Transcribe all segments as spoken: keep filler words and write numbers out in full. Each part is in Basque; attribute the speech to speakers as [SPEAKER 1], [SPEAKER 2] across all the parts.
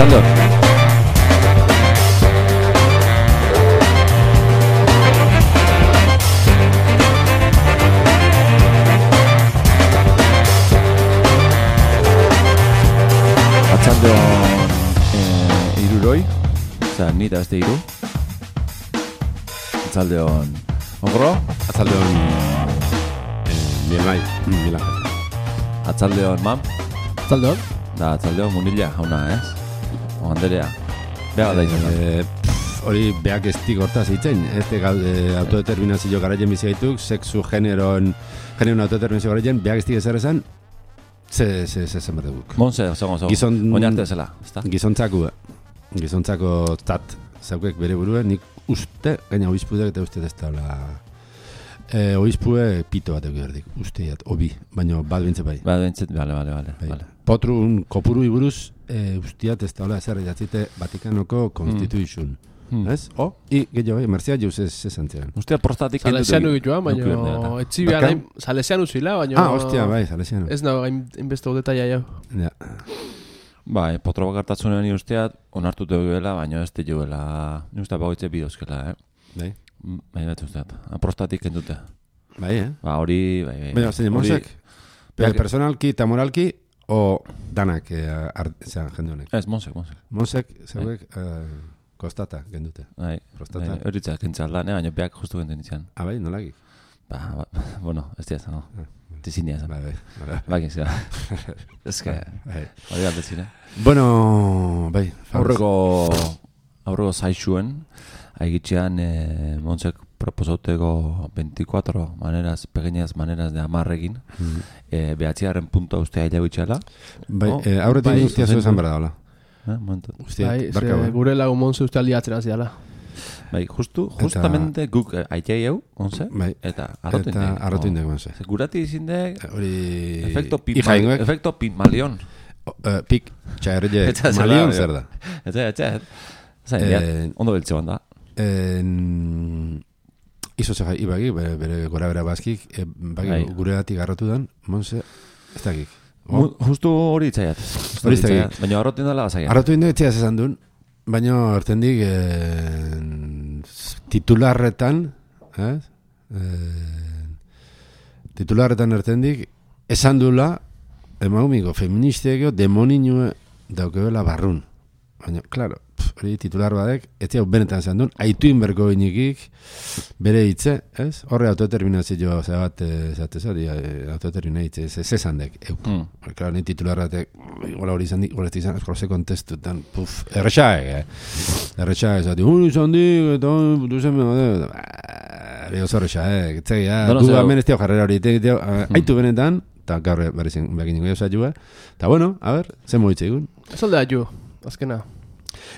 [SPEAKER 1] Arratsaldeon. Arratsaldeon eh, iruroi, oza, ni eta beste iru. Arratsaldeon ogro.
[SPEAKER 2] Arratsaldeon bien bai, mila.
[SPEAKER 1] Arratsaldeon mam.
[SPEAKER 3] Arratsaldeon.
[SPEAKER 1] Da arratsaldeon munilla jauna, ez? O Anderea. Bega da izan.
[SPEAKER 2] Eh, hori beak estik hortaz hitzen, este eh, autodeterminazio garaien bizi gaituk, sexu generoen generoen autodeterminazio garaien beak estik ezer esan. Se se se se merguk.
[SPEAKER 1] Monse, oso oso.
[SPEAKER 2] Gizon
[SPEAKER 1] oinarte zela, ezta?
[SPEAKER 2] Gizontzako gizontzako tat zaukek bere buruen, nik uste gaina oizpudeak eta uste ez dela eh oizpue pito bat egiardik. Usteiat obi, baina bat bintze bai.
[SPEAKER 1] Ba, bentzet, bale, bale, bale.
[SPEAKER 2] Bai.
[SPEAKER 1] Vale.
[SPEAKER 2] Potrun kopuru iburuz eh ustiat ez daula ezer idatzite Vatikanoko Constitution.
[SPEAKER 1] Hmm.
[SPEAKER 2] Ez? O, i gehiago bai, Merzia jauz ez zantziren.
[SPEAKER 1] Ustea prostatik
[SPEAKER 3] Salesianu gituan, baina etzi behar hain Salesianu zila, baina...
[SPEAKER 2] Ah, ostia, bai, Salesianu.
[SPEAKER 3] Ez nago hainbeste detaila jau.
[SPEAKER 2] Ja.
[SPEAKER 1] Bai, potro bakartatzunen usteat onartu duela, baina ez duela, ni uste bagoitze bidozkela, eh?
[SPEAKER 2] Bai.
[SPEAKER 1] Bai, bat usteat. Prostatik kendute.
[SPEAKER 2] Bai, eh?
[SPEAKER 1] Ba, hori, bai, bai.
[SPEAKER 2] Baina, zein, monsek? Pero personalki eta moralki, o danak, zean, jende honek?
[SPEAKER 1] Ez, monsek, monsek.
[SPEAKER 2] Monsek, zeuek, kostata, gendute.
[SPEAKER 1] Bai,
[SPEAKER 2] Prostata.
[SPEAKER 1] hori txak kentzaldan, eh? Baina beak justu genten izan.
[SPEAKER 2] Ah, bai, nolagik?
[SPEAKER 1] Ba, ba, bueno, ez diaz, no. Tizinia zan.
[SPEAKER 2] Bai, bai.
[SPEAKER 1] Bai, gizia. Ez que,
[SPEAKER 2] Bai.
[SPEAKER 1] hori aldetzin, eh?
[SPEAKER 2] Bueno, bai.
[SPEAKER 1] Aurreko, aurreko zaixuen, haigitxean eh, Montsek proposauteko veinticuatro maneras, pequeñas maneras de amarrekin,
[SPEAKER 2] Mm.
[SPEAKER 1] eh, behatziaren puntua ustea hilabitxela bitxala.
[SPEAKER 2] Bai,
[SPEAKER 1] Oh,
[SPEAKER 2] eh, aurretik
[SPEAKER 1] bai,
[SPEAKER 2] guztia zu esan berda, hola.
[SPEAKER 1] Eh, momentu.
[SPEAKER 2] Guztia,
[SPEAKER 3] Bai,
[SPEAKER 2] barka
[SPEAKER 3] ze
[SPEAKER 2] bai.
[SPEAKER 3] gure lagun monzu uste aldiatzen haziala.
[SPEAKER 1] Bai, justu, justamente guk eh, aitea eu, onze,
[SPEAKER 2] Bai.
[SPEAKER 1] eta arrotu
[SPEAKER 2] Eta
[SPEAKER 1] indek.
[SPEAKER 2] arrotu indek, monse.
[SPEAKER 1] Ze gurati izindek,
[SPEAKER 2] Hori...
[SPEAKER 1] efekto
[SPEAKER 2] Hija ingoek,
[SPEAKER 1] efekto Pigmalion.
[SPEAKER 2] uh, pik, txaerre,
[SPEAKER 1] Etxa zela,
[SPEAKER 2] malion
[SPEAKER 1] bai.
[SPEAKER 2] zer da.
[SPEAKER 1] Etxe, etxe, zain,
[SPEAKER 2] Eh,
[SPEAKER 1] diat, ondo beltze banda.
[SPEAKER 2] En... Izo zega, ibagi, bere, bere gora bera bazkik, e, bagi,
[SPEAKER 1] Bai.
[SPEAKER 2] gure datik garrotu dan, monse, ez dakik.
[SPEAKER 1] Mu- Justu hori itzaiat.
[SPEAKER 2] Hori itzaiat.
[SPEAKER 1] Baina arrotu indela bazaiat.
[SPEAKER 2] Arrotu inde etxea esan duen, baina hartendik eh, titularretan, eh? Eh, titularretan hartendik, esan duela, emaumiko feministeak demoninue daukebela barrun. Baina, klaro, pf, hori titular badek, ez hau benetan esan duen, aitu inberko inikik, bere hitze, ez? Horre autodeterminazio zabat, zate zari, autodeterminazio, ez esan dek, euk.
[SPEAKER 1] Mm.
[SPEAKER 2] Claro, ni titularratek, gola hori izan dik, gola ez izan, eskola ze kontestutan, puf, erretxaek, eh? Erretxaek, zati, ui, izan dik, eta, du zen, bera, oso erretxaek, etzegi, ja,
[SPEAKER 1] Dono
[SPEAKER 2] gu
[SPEAKER 1] zeu.
[SPEAKER 2] hemen ez teo jarrera hori, te- teo, aitu benetan, eta gaur berrizien, bekin ningo josa eta bueno, a ver, ze moitze egun.
[SPEAKER 3] Ez aldea ju, azkena.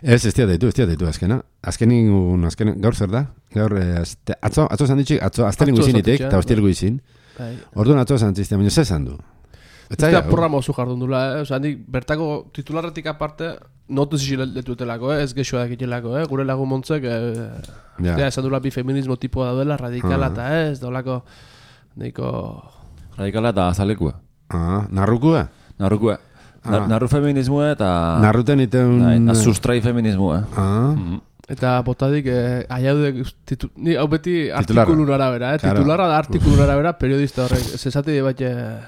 [SPEAKER 2] Ez, ez tia deitu, ez tia deitu, azkena. Azkenin, azken, gaur zer da? Gaur, eh, azte, atzo, atzo zan ditxik, atzo, aztelengu
[SPEAKER 3] Atzo
[SPEAKER 2] izinitek,
[SPEAKER 3] zantitxea,
[SPEAKER 2] eta ostirgu izin.
[SPEAKER 3] Bai.
[SPEAKER 2] Orduan atzo zan ziztea, baina ze zan du? Ez
[SPEAKER 3] Eta
[SPEAKER 2] zaila,
[SPEAKER 3] programa oso jardun dula, eh? Osa, handik bertako titularretik aparte, notu ziletutelako, eh? Ez gexoak itelako, eh? Gure lagun montzek, eh?
[SPEAKER 2] Ja.
[SPEAKER 3] Ja, esan dula bi feminismo tipoa daudela, radikala
[SPEAKER 2] Ah.
[SPEAKER 3] eta ez, daulako, neiko...
[SPEAKER 1] Radikala eta azalekua.
[SPEAKER 2] Ah, narrukua?
[SPEAKER 1] Narrukua.
[SPEAKER 2] Ah.
[SPEAKER 1] Na- Narru feminismoa eta...
[SPEAKER 2] Narruten iteun...
[SPEAKER 1] Bai, na sustrai feminismoa.
[SPEAKER 2] Ah,
[SPEAKER 1] Mm.
[SPEAKER 3] Eta botadik, eh, aiaudek, titu, ni hau beti
[SPEAKER 2] Titularra.
[SPEAKER 3] artikulun arabera, eh?
[SPEAKER 2] Claro.
[SPEAKER 3] Titularra da artikulun arabera, periodista horrek. Zesate bat, eh,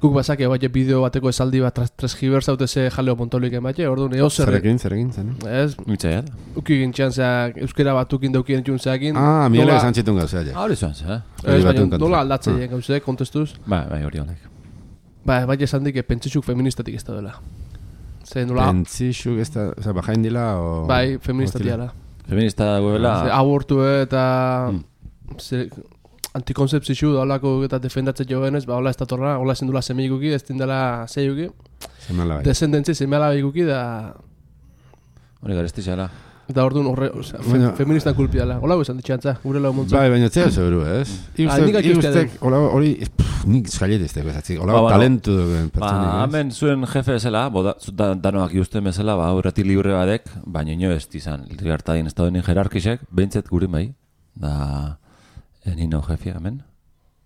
[SPEAKER 3] guk bazake bat bideo bateko esaldi bat tras- transgiber zaute ze jaleo montolik ematxe, orduan, eo zer,
[SPEAKER 2] zerekin, zerekin, zen.
[SPEAKER 3] ez,
[SPEAKER 1] Mitzaiat.
[SPEAKER 3] uki gintxan zeak, euskera batukin daukien txun zeakin.
[SPEAKER 2] Ah, miele
[SPEAKER 3] nola-
[SPEAKER 2] esan txitun gauzea, ja.
[SPEAKER 1] Hori zuan, ze, eh?
[SPEAKER 2] Hori
[SPEAKER 3] Ez, baina
[SPEAKER 2] batuen kontra.
[SPEAKER 3] nola aldatzen
[SPEAKER 2] Ah.
[SPEAKER 3] dien gauzek, kontestuz.
[SPEAKER 1] Bai, bai, hori honek.
[SPEAKER 3] Ba, bai esan dik, pentsitxuk feministatik ez da dela. Ze nola,
[SPEAKER 2] Pentsixuk ez da, oza, bajain dila, o...
[SPEAKER 3] bai, feministatik
[SPEAKER 2] hostila.
[SPEAKER 3] dela.
[SPEAKER 1] Feminista dagoela...
[SPEAKER 3] Ze abortu eta
[SPEAKER 1] Mm.
[SPEAKER 3] ze, antikonzeptzitzu da holako eta defendatzen jovenez, ba, hola ez datorra, hola ezin dula semeikuki, ez dindela zeiuki,
[SPEAKER 2] Zemala bai.
[SPEAKER 3] descendentzi semeala ikuki da,
[SPEAKER 1] Hori garesti zela.
[SPEAKER 3] eta orduan horre, osea, fe,
[SPEAKER 2] Baina-
[SPEAKER 3] feministan kulpiala. Hola esan ditxantza, gure lau montza.
[SPEAKER 2] Bai, baina zea zebru, ez?
[SPEAKER 3] Ah, nik
[SPEAKER 2] Iustek,
[SPEAKER 3] aki uste
[SPEAKER 2] iustek, hola, hori, pff, nik eskalletezteko, ez
[SPEAKER 1] Ba,
[SPEAKER 2] hola,
[SPEAKER 1] bueno.
[SPEAKER 2] talentu duen
[SPEAKER 1] Ba,
[SPEAKER 2] pertsonik, ez?
[SPEAKER 1] hemen zuen jefe ezela, boda, zu- da, danoak iusten bezala, ba, aurretik libre badek, baina ino ez izan, libertadien estadoen jerarkisek, behintzet gure bai, da, eh, nino jefia hemen,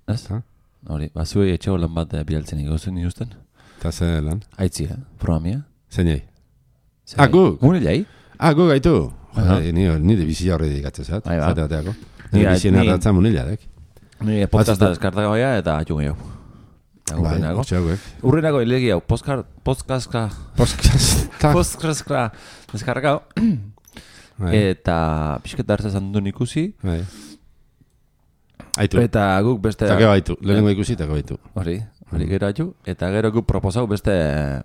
[SPEAKER 1] ez?
[SPEAKER 2] Ha?
[SPEAKER 1] Hori, ba, zuei etxego lan bat eh, bidaltzen ikusten iusten.
[SPEAKER 2] Eta ze lan?
[SPEAKER 1] Aitzi, eh? Programia.
[SPEAKER 2] Zeinei? Ah, guk?
[SPEAKER 1] Unilei?
[SPEAKER 2] Ah, guk gaitu?
[SPEAKER 1] Aha.
[SPEAKER 2] Jode, ni, ni de bizia horre dikatzen zat.
[SPEAKER 1] Bai, ba.
[SPEAKER 2] Zate bateako.
[SPEAKER 1] Ni-
[SPEAKER 2] Ni bizien
[SPEAKER 1] ni-
[SPEAKER 2] arratzen munila, dek.
[SPEAKER 1] Ni podcasta deskartaka goia eta atxun gehiago. Eta
[SPEAKER 2] Bai,
[SPEAKER 1] urrenako.
[SPEAKER 2] hortxeagoek.
[SPEAKER 1] Urrenako ilegi hau, postkar, postkazka,
[SPEAKER 2] Podcast.
[SPEAKER 1] postkazka deskargao.
[SPEAKER 2] Bai,
[SPEAKER 1] Eta pixket dartza zantun ikusi.
[SPEAKER 2] bai. Aitu.
[SPEAKER 1] Eta guk beste...
[SPEAKER 2] Eta gero baitu. Lehenengo ikusi eta gero baitu.
[SPEAKER 1] Hori, hori gero atxu. Eta gero guk proposau beste...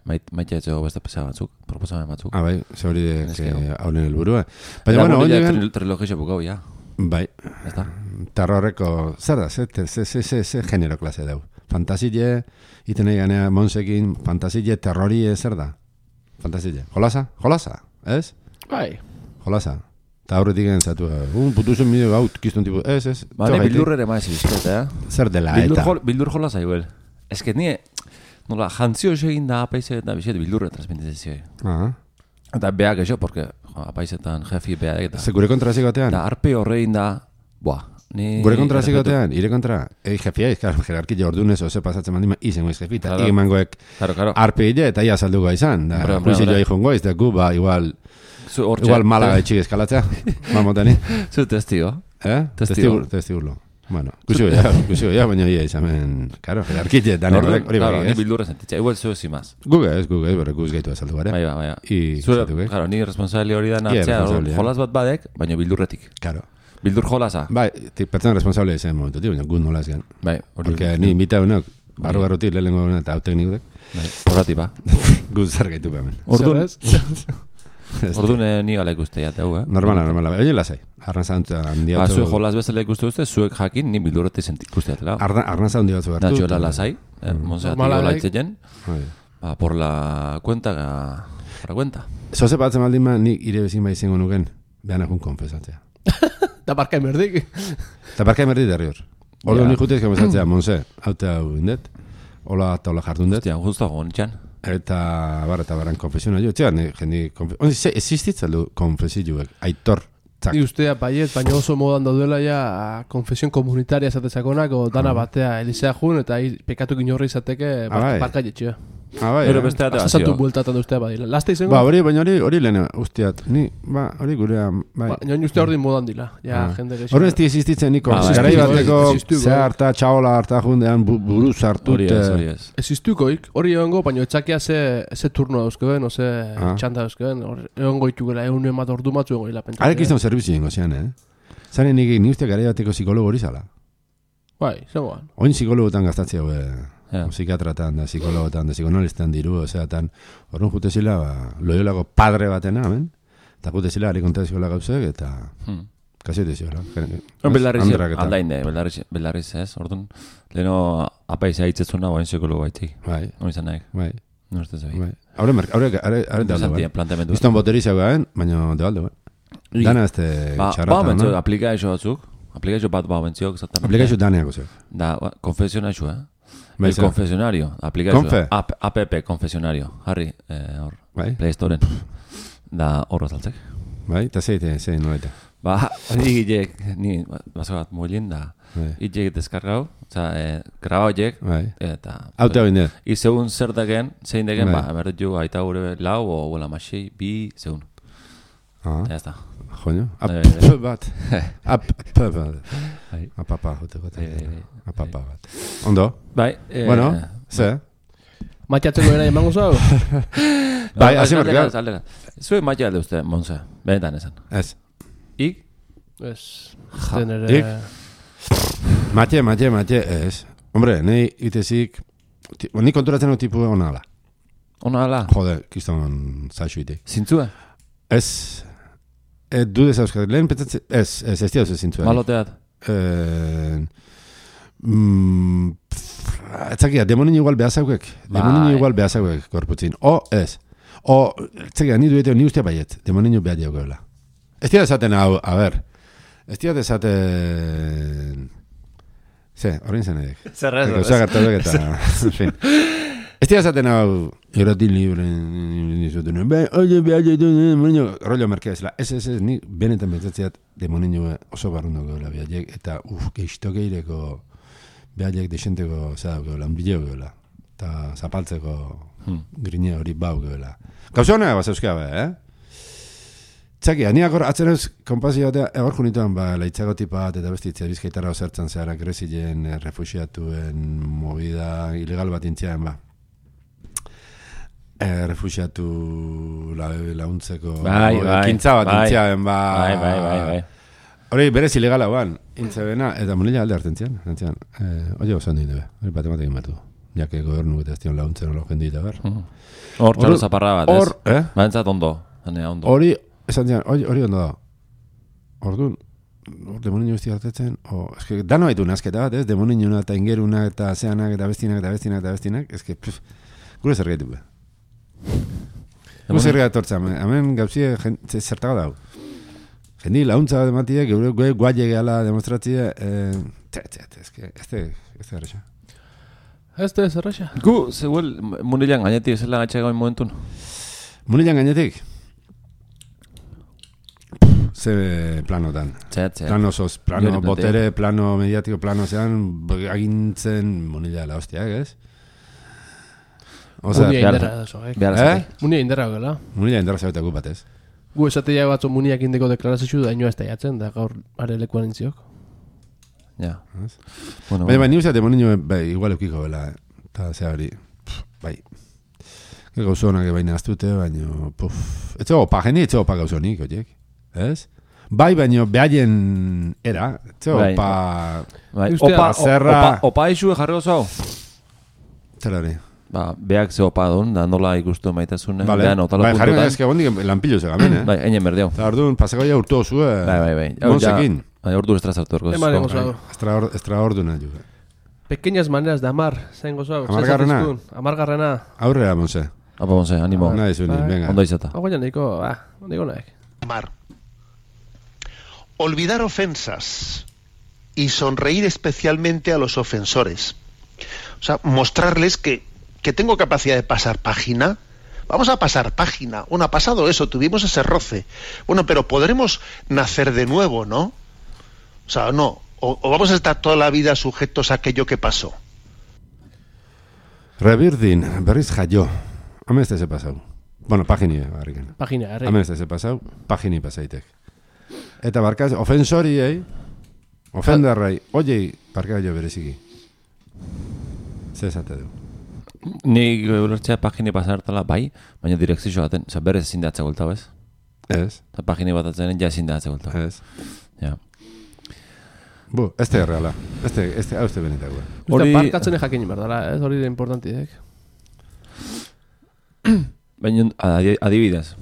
[SPEAKER 1] mait- Maite etxego beste pesa batzuk. Proposamen batzuk.
[SPEAKER 2] Ah, bai, ze hori de
[SPEAKER 1] Eske, hau.
[SPEAKER 2] haunen helburua. Baina, bueno, hori gen...
[SPEAKER 1] Trilogio bukau, ja.
[SPEAKER 2] Bai,
[SPEAKER 1] Ez da.
[SPEAKER 2] tarra horreko, zer da, ze, ze, ze, ze, ze genero klase dau. Fantasile, iten nahi ganea Monsekin, fantasile, terrorie, zer da? Fantasile. Jolasa? Jolasa, ez?
[SPEAKER 3] Bai.
[SPEAKER 2] Jolasa. Eta aurretik egin zatu, un putuzen bideo gaut, kizton tipu, ez, ez?
[SPEAKER 1] Ba, ne bildur ere maiz bizkot, eh?
[SPEAKER 2] Zer dela,
[SPEAKER 1] Bildur,
[SPEAKER 2] eta.
[SPEAKER 1] jol, bildur jola zaiguel. Ez que nie... Nola, jantzio egin da apaize eta bizet bildurre transmitizioi.
[SPEAKER 2] Ah,
[SPEAKER 1] Eta beak eso, porque jo, apaizetan jefi beak eta...
[SPEAKER 2] ze gure kontra zikotean?
[SPEAKER 1] Da arpe horrein da... Buah, ni...
[SPEAKER 2] Gure kontra zikotean, ire kontra, ei jefia, izkar, jerarkia ordunez, oze pasatzen mandima, izen goiz jefi, eta
[SPEAKER 1] Claro.
[SPEAKER 2] claro. mangoek
[SPEAKER 1] Claro, claro.
[SPEAKER 2] arpe hile, eta ia salduko izan. Da,
[SPEAKER 1] Hombre, hombre,
[SPEAKER 2] juizi
[SPEAKER 1] hombre.
[SPEAKER 2] joa ikon goiz, da gu, ba, igual,
[SPEAKER 1] Zu hortxe...
[SPEAKER 2] igual malaga etxik eskalatzea, mamotani.
[SPEAKER 1] Zu testigo.
[SPEAKER 2] Eh?
[SPEAKER 1] Testigo.
[SPEAKER 2] Testigo. Testigurlo. Bueno, kusiko ja, kusiko ja, baina ia izamen, karo, jerarkia, dan horrek, hori
[SPEAKER 1] Claro,
[SPEAKER 2] bai,
[SPEAKER 1] ni
[SPEAKER 2] ez?
[SPEAKER 1] bildurre sentitza. Igual zu ezimaz.
[SPEAKER 2] Guge ez, guge ez, bere guz gaitu azaldu bare.
[SPEAKER 1] Bai, bai, bai.
[SPEAKER 2] I
[SPEAKER 1] Zure,
[SPEAKER 2] zatu, eh?
[SPEAKER 1] claro, ni responsabili hori da
[SPEAKER 2] Ia,
[SPEAKER 1] nartzea,
[SPEAKER 2] responsabilia.
[SPEAKER 1] jolas bat badek, baina bildurretik.
[SPEAKER 2] Karo.
[SPEAKER 1] Bildur jolasa.
[SPEAKER 2] Bai, ti, pertsona responsable izan momentu, baina gu nola ezgan.
[SPEAKER 1] Bai, hori.
[SPEAKER 2] Porque ni invita unok, barru barrutik, lehenengo honen eta hau teknikudek,
[SPEAKER 1] Bai, horratipa.
[SPEAKER 2] guz zer gaitu behemen.
[SPEAKER 1] Orduan,
[SPEAKER 3] Zer ez?
[SPEAKER 1] orduan eh, ni gala ikuste jateu, eh?
[SPEAKER 2] Normala, normala. Oye, lasai. Arnazantza handi
[SPEAKER 1] Ba,
[SPEAKER 2] batzu.
[SPEAKER 1] zuek jolas bezala ikuste duzte, zuek jakin ni bildurretik ikuste jatela.
[SPEAKER 2] Arna, arnaza handi batzu hartu.
[SPEAKER 1] Natxoela lasai, eh, monseatik
[SPEAKER 3] Normala
[SPEAKER 1] hola
[SPEAKER 3] daik.
[SPEAKER 1] itzeien,
[SPEAKER 2] Bai.
[SPEAKER 1] ba, por la cuenta, ga, para cuenta.
[SPEAKER 2] Zoze batzen baldin ma, nik ire bezin bai izango nuken, behan akun konfesatzea.
[SPEAKER 3] Da barka emerdik.
[SPEAKER 2] Eta barka emerdi derri hor. Ordu
[SPEAKER 1] Ja.
[SPEAKER 2] nik jutez konfesatzea, Monse, haute hau indet, hola eta hola jardun dut,
[SPEAKER 1] Hostia, justo gonitxan.
[SPEAKER 2] eta bar, eta baran konfesiona jo, txean, jendi, konfesiona, ze, existitzen du konfesioek, aitor, Zak.
[SPEAKER 3] Ni ustea baiet, baina oso modan daudela ja konfesion komunitaria esatezakonak, o dana batea elizea jun, eta hi pekatu inorri izateke
[SPEAKER 2] Ah, bai.
[SPEAKER 3] barka jetxea.
[SPEAKER 2] Ah, bai,
[SPEAKER 1] Pero
[SPEAKER 2] eh?
[SPEAKER 1] beste ate
[SPEAKER 3] Azazatu
[SPEAKER 1] bazio.
[SPEAKER 3] bueltatan da ustea badila. Lasta izango?
[SPEAKER 2] Ba, hori, baina hori, hori lehen, usteat, ni, ba, hori gurea, bai.
[SPEAKER 3] Ba, nioin ustea ordin modan dila. Ja,
[SPEAKER 2] Ah.
[SPEAKER 3] jende gexo.
[SPEAKER 2] Hori ez di existitzen niko,
[SPEAKER 1] Ah, bai.
[SPEAKER 2] garai bateko,
[SPEAKER 3] Existitu,
[SPEAKER 2] ze
[SPEAKER 3] bai.
[SPEAKER 2] harta, txaola harta jundean, bu, buruz hartut,
[SPEAKER 1] Hori ez, hori ez.
[SPEAKER 3] Existukoik, hori egongo, baina etxakia ze, ze turno dauzkeben, o ze
[SPEAKER 2] Ah.
[SPEAKER 3] txanda dauzkeben, hor egongo itukela, egun emat ordu matzu egongo hila pentsatzen.
[SPEAKER 2] Arek izan zerbitzu jengo zean, eh? Zaren nik, ni uste garai bateko psikologo hori zala.
[SPEAKER 3] Bai, zengoan.
[SPEAKER 2] Oin psikologotan gastatzea, eh,
[SPEAKER 1] Ja.
[SPEAKER 2] psikiatratan, da psikologotan, da psikoanalistan diru, ozeatan, horren jute zila, ba, loiolako padre batena, amen? Eta jute zila, ari kontaziola gauzek, eta
[SPEAKER 1] Hmm.
[SPEAKER 2] kasi hote ziola.
[SPEAKER 1] Belarriz,
[SPEAKER 2] Andrak eta-
[SPEAKER 1] aldainde, belarriz, belarriz ez, orduan, leheno apaiza hitzetzuna, bain psikologo baitik.
[SPEAKER 2] Bai,
[SPEAKER 1] Hori izan nahi,
[SPEAKER 2] bai,
[SPEAKER 1] no uste zabi.
[SPEAKER 2] bai. Haure, mer- haure, haure, haure, haure,
[SPEAKER 1] Interesantia,
[SPEAKER 2] haure,
[SPEAKER 1] planteamendu.
[SPEAKER 2] Bizton boteriza gaen, baina de alde, bai.
[SPEAKER 1] I-
[SPEAKER 2] Dana este
[SPEAKER 1] Ba, ba,
[SPEAKER 2] txarrata,
[SPEAKER 1] bentzio,
[SPEAKER 2] no?
[SPEAKER 1] aplikazio batzuk, aplikazio bat ba, bentziok, exactamente.
[SPEAKER 2] Aplikazio daneako zeu.
[SPEAKER 1] Da, ba, konfesionazio, eh?
[SPEAKER 2] Bai,
[SPEAKER 1] El
[SPEAKER 2] zer?
[SPEAKER 1] confesionario, aplikazio.
[SPEAKER 2] Confe?
[SPEAKER 1] App, app, confesionario. Harri, eh, hor,
[SPEAKER 2] Bai,
[SPEAKER 1] Play Storen. Da, horra zaltzek.
[SPEAKER 2] bai, eta zeite, zein noleta.
[SPEAKER 1] Ba, ni gilek, ni, baso bat moilin da,
[SPEAKER 2] Bai,
[SPEAKER 1] gilek deskargau, oza, eh, grabau jek,
[SPEAKER 2] bai.
[SPEAKER 1] eta...
[SPEAKER 2] Auto hau indet.
[SPEAKER 1] I zeun zer dagen, zein dagen,
[SPEAKER 2] Bai.
[SPEAKER 1] ba, berdet jo, aita gure lau, o huela masei, bi, zeun.
[SPEAKER 2] Ah,
[SPEAKER 1] Ya está.
[SPEAKER 2] joño.
[SPEAKER 1] Bai, bai, bai.
[SPEAKER 2] Ap bat. Ap bat.
[SPEAKER 1] Bai.
[SPEAKER 2] Apapa, jote gote.
[SPEAKER 1] Bai, bai, bai.
[SPEAKER 2] Apapa bat. Ondo?
[SPEAKER 1] Bai, eh,
[SPEAKER 2] Bueno, ze?
[SPEAKER 3] Matiatzeko era emango zau?
[SPEAKER 2] Bai, hasi
[SPEAKER 1] alde-
[SPEAKER 2] marka.
[SPEAKER 1] alde- alde- Zue maite alde uste, Monse, benetan esan.
[SPEAKER 2] Ez.
[SPEAKER 1] Ik,
[SPEAKER 3] Ez,
[SPEAKER 1] Ja,
[SPEAKER 3] den
[SPEAKER 2] ik?
[SPEAKER 3] ere...
[SPEAKER 2] Matxe, matxe, matxe, ez. Hombre, nahi itezik... ti- Ni konturatzen dut tipu egon ala.
[SPEAKER 1] ona ala,
[SPEAKER 2] Jode, kiston zaixu ite.
[SPEAKER 1] zintzue,
[SPEAKER 2] Ez... Ez du dezauzkat. Lehen petzatzen... Ez, ez, ez diauz ez zintzuen.
[SPEAKER 1] maloteat.
[SPEAKER 2] Eh... Mm, pff, etzakia, demonin igual behazaukek. Demonin
[SPEAKER 1] Bai.
[SPEAKER 2] igual behazaukek korputzin. O, ez. O, etzakia, ni dueteo, ni ustea baiet. Demonin behar jaukela. Ez dira esaten hau, a ber. Ez dira esaten... Ze, horrein zen edek.
[SPEAKER 1] Zerrez,
[SPEAKER 2] Gauza gertatuak eta... En fin. Ez dira esaten hau... Irratin libre... Nizuten... Be, oye, behar jaitun... Demonino... Rollo merkea ezela. Ez, ez, ez, ni benetan pentsatzeat demonino oso barrundo gehola behaiek. Eta, uf, geizto geireko... Behaiek desenteko... Zada gehola, un bideo gehola. eta zapaltzeko
[SPEAKER 1] Hmm.
[SPEAKER 2] grine hori bau gebela. Gauza honek bat euskea be, eh? Txaki, aniak hor atzen eus kompazio batea, egor junituan, ba, laitzago tipa bat eta bestitzea bizkaitarra osertzen zehara Grezilen eh, refusiatuen movida ilegal bat intziaen, ba. Eh, refusiatu la, launtzeko
[SPEAKER 1] Bai, bai,
[SPEAKER 2] kintza bat
[SPEAKER 1] bai.
[SPEAKER 2] intziaen, ba.
[SPEAKER 1] Bai, bai, bai, bai.
[SPEAKER 2] Hori berez ilegala guan, intzebena, eta munila alde hartzen zian, hartzen eh, oie osan dut, hori bat ematekin bertu. Jake gobernu eta ez dion launtzen olo jendu eta ber.
[SPEAKER 1] Hor txalo zaparra bat, ez?
[SPEAKER 2] Hor, eh?
[SPEAKER 1] Baentzat ondo, zanea ondo.
[SPEAKER 2] Hori, esan zian, hori, hori ondo da. Orduan, hor demoninu besti hartetzen, o, eske, dano haitu nazketa bat, ez? Demoninuna eta ingeruna eta zeanak eta bestinak eta bestinak eta bestinak, eske, pff, gure zer gaitu be. Gure zer gaitu tortzen, hemen gauzie zertago dau. Jendi launtza bat ematiek, geure gue guaile gehala demonstratzia, eh, tze, tze, tze, eske, ez da, ez da erresa.
[SPEAKER 3] Ez da ez erresa.
[SPEAKER 1] Gu, zeuel, munilean gainetik ezela gatxe gain momentun.
[SPEAKER 2] Munilean gainetik? Ze planotan.
[SPEAKER 1] Txet, txet.
[SPEAKER 2] Plano, sos, plano
[SPEAKER 1] Jori
[SPEAKER 2] botere, plano mediatiko, plano zean, agintzen munila la hostiak, ez? Osea,
[SPEAKER 3] Munia
[SPEAKER 1] behar-
[SPEAKER 3] inderra da zo, eh?
[SPEAKER 1] behar
[SPEAKER 2] Eh?
[SPEAKER 1] zati.
[SPEAKER 3] Munia inderra gela.
[SPEAKER 2] munila indarra zabeta gu batez.
[SPEAKER 3] Gu esatea batzu muniak indeko deklarazio da inoa ez da jatzen, da gaur are lekuan intziok.
[SPEAKER 1] Ja.
[SPEAKER 2] Ez?
[SPEAKER 1] Bueno,
[SPEAKER 2] Baina,
[SPEAKER 1] bueno.
[SPEAKER 2] baina uste, demonio, bai, igual eukiko bela, eta zea hori, pff, bai. Que gauzonak baina astute, baina, puf, etxe opa, jeni etxe opa gauzonik, oiek, ez? Bai, baina behaien era, etxe
[SPEAKER 1] Bai.
[SPEAKER 2] opa,
[SPEAKER 1] Bai,
[SPEAKER 3] Ustea,
[SPEAKER 1] opa,
[SPEAKER 2] zerra-
[SPEAKER 1] opa, opa isue jarri oso hau.
[SPEAKER 2] zer hori.
[SPEAKER 1] Ba, beak ze opa duen, da nola ikustu maitazune.
[SPEAKER 2] Vale,
[SPEAKER 1] Behan, otala
[SPEAKER 2] bai, jarri
[SPEAKER 1] puntutan.
[SPEAKER 2] ezke gondik lanpillo zegamen, eh?
[SPEAKER 1] Bai, einen berdeu.
[SPEAKER 2] Eta orduan, pasakoia urtu osue,
[SPEAKER 1] Bai, bai, bai. Hau ja-
[SPEAKER 2] Monsekin.
[SPEAKER 1] Bai, ordu estrazartu erko.
[SPEAKER 3] Eman egon zau.
[SPEAKER 2] Extraor, extraorduna ju.
[SPEAKER 3] Pequeñas maneras de amar, zain gozau.
[SPEAKER 2] Amargarrena?
[SPEAKER 3] Amargarrena.
[SPEAKER 2] Aurrera, Monse.
[SPEAKER 1] Apa, bonze, animo.
[SPEAKER 2] Nahi zuni,
[SPEAKER 3] bai.
[SPEAKER 2] venga.
[SPEAKER 1] Ondo izata.
[SPEAKER 3] Hau gaina niko, ah, niko naek.
[SPEAKER 4] Amar. Olvidar ofensas y sonreír especialmente a los ofensores. O sea, mostrarles que, que tengo capacidad de pasar página. Vamos a pasar página. Bueno, ha pasado eso, tuvimos ese roce. Bueno, pero podremos nacer de nuevo, ¿no? O sea, no. O, o vamos a estar toda la vida sujetos a aquello que pasó.
[SPEAKER 2] Rebirdin, berriz jaio. Hemen ez da ze pasau. Bueno, pagini, barriken.
[SPEAKER 3] Pagina, herri.
[SPEAKER 2] Hemen ez da ze pasau, pagini pasaitek. Eta barkaz, ofensoriei, ofendarrai, oiei, barka jo bereziki. Ze esate du.
[SPEAKER 1] Ni ulertzea pagini pasartala bai, baina direkzio baten, oza, berez ezin da atzegultau, ez?
[SPEAKER 2] Ez,
[SPEAKER 1] Eta pagini bat atzenen ja ezin da atzegultau.
[SPEAKER 2] ez.
[SPEAKER 1] Ja.
[SPEAKER 2] Bu, ez da erreala. Ez da, ez da, hau ez da benetakoa.
[SPEAKER 3] Hori...
[SPEAKER 1] Hori-
[SPEAKER 3] Barkatzen jakin berdala, ez? Hori da importantiek.
[SPEAKER 1] Baina adi- adibidez.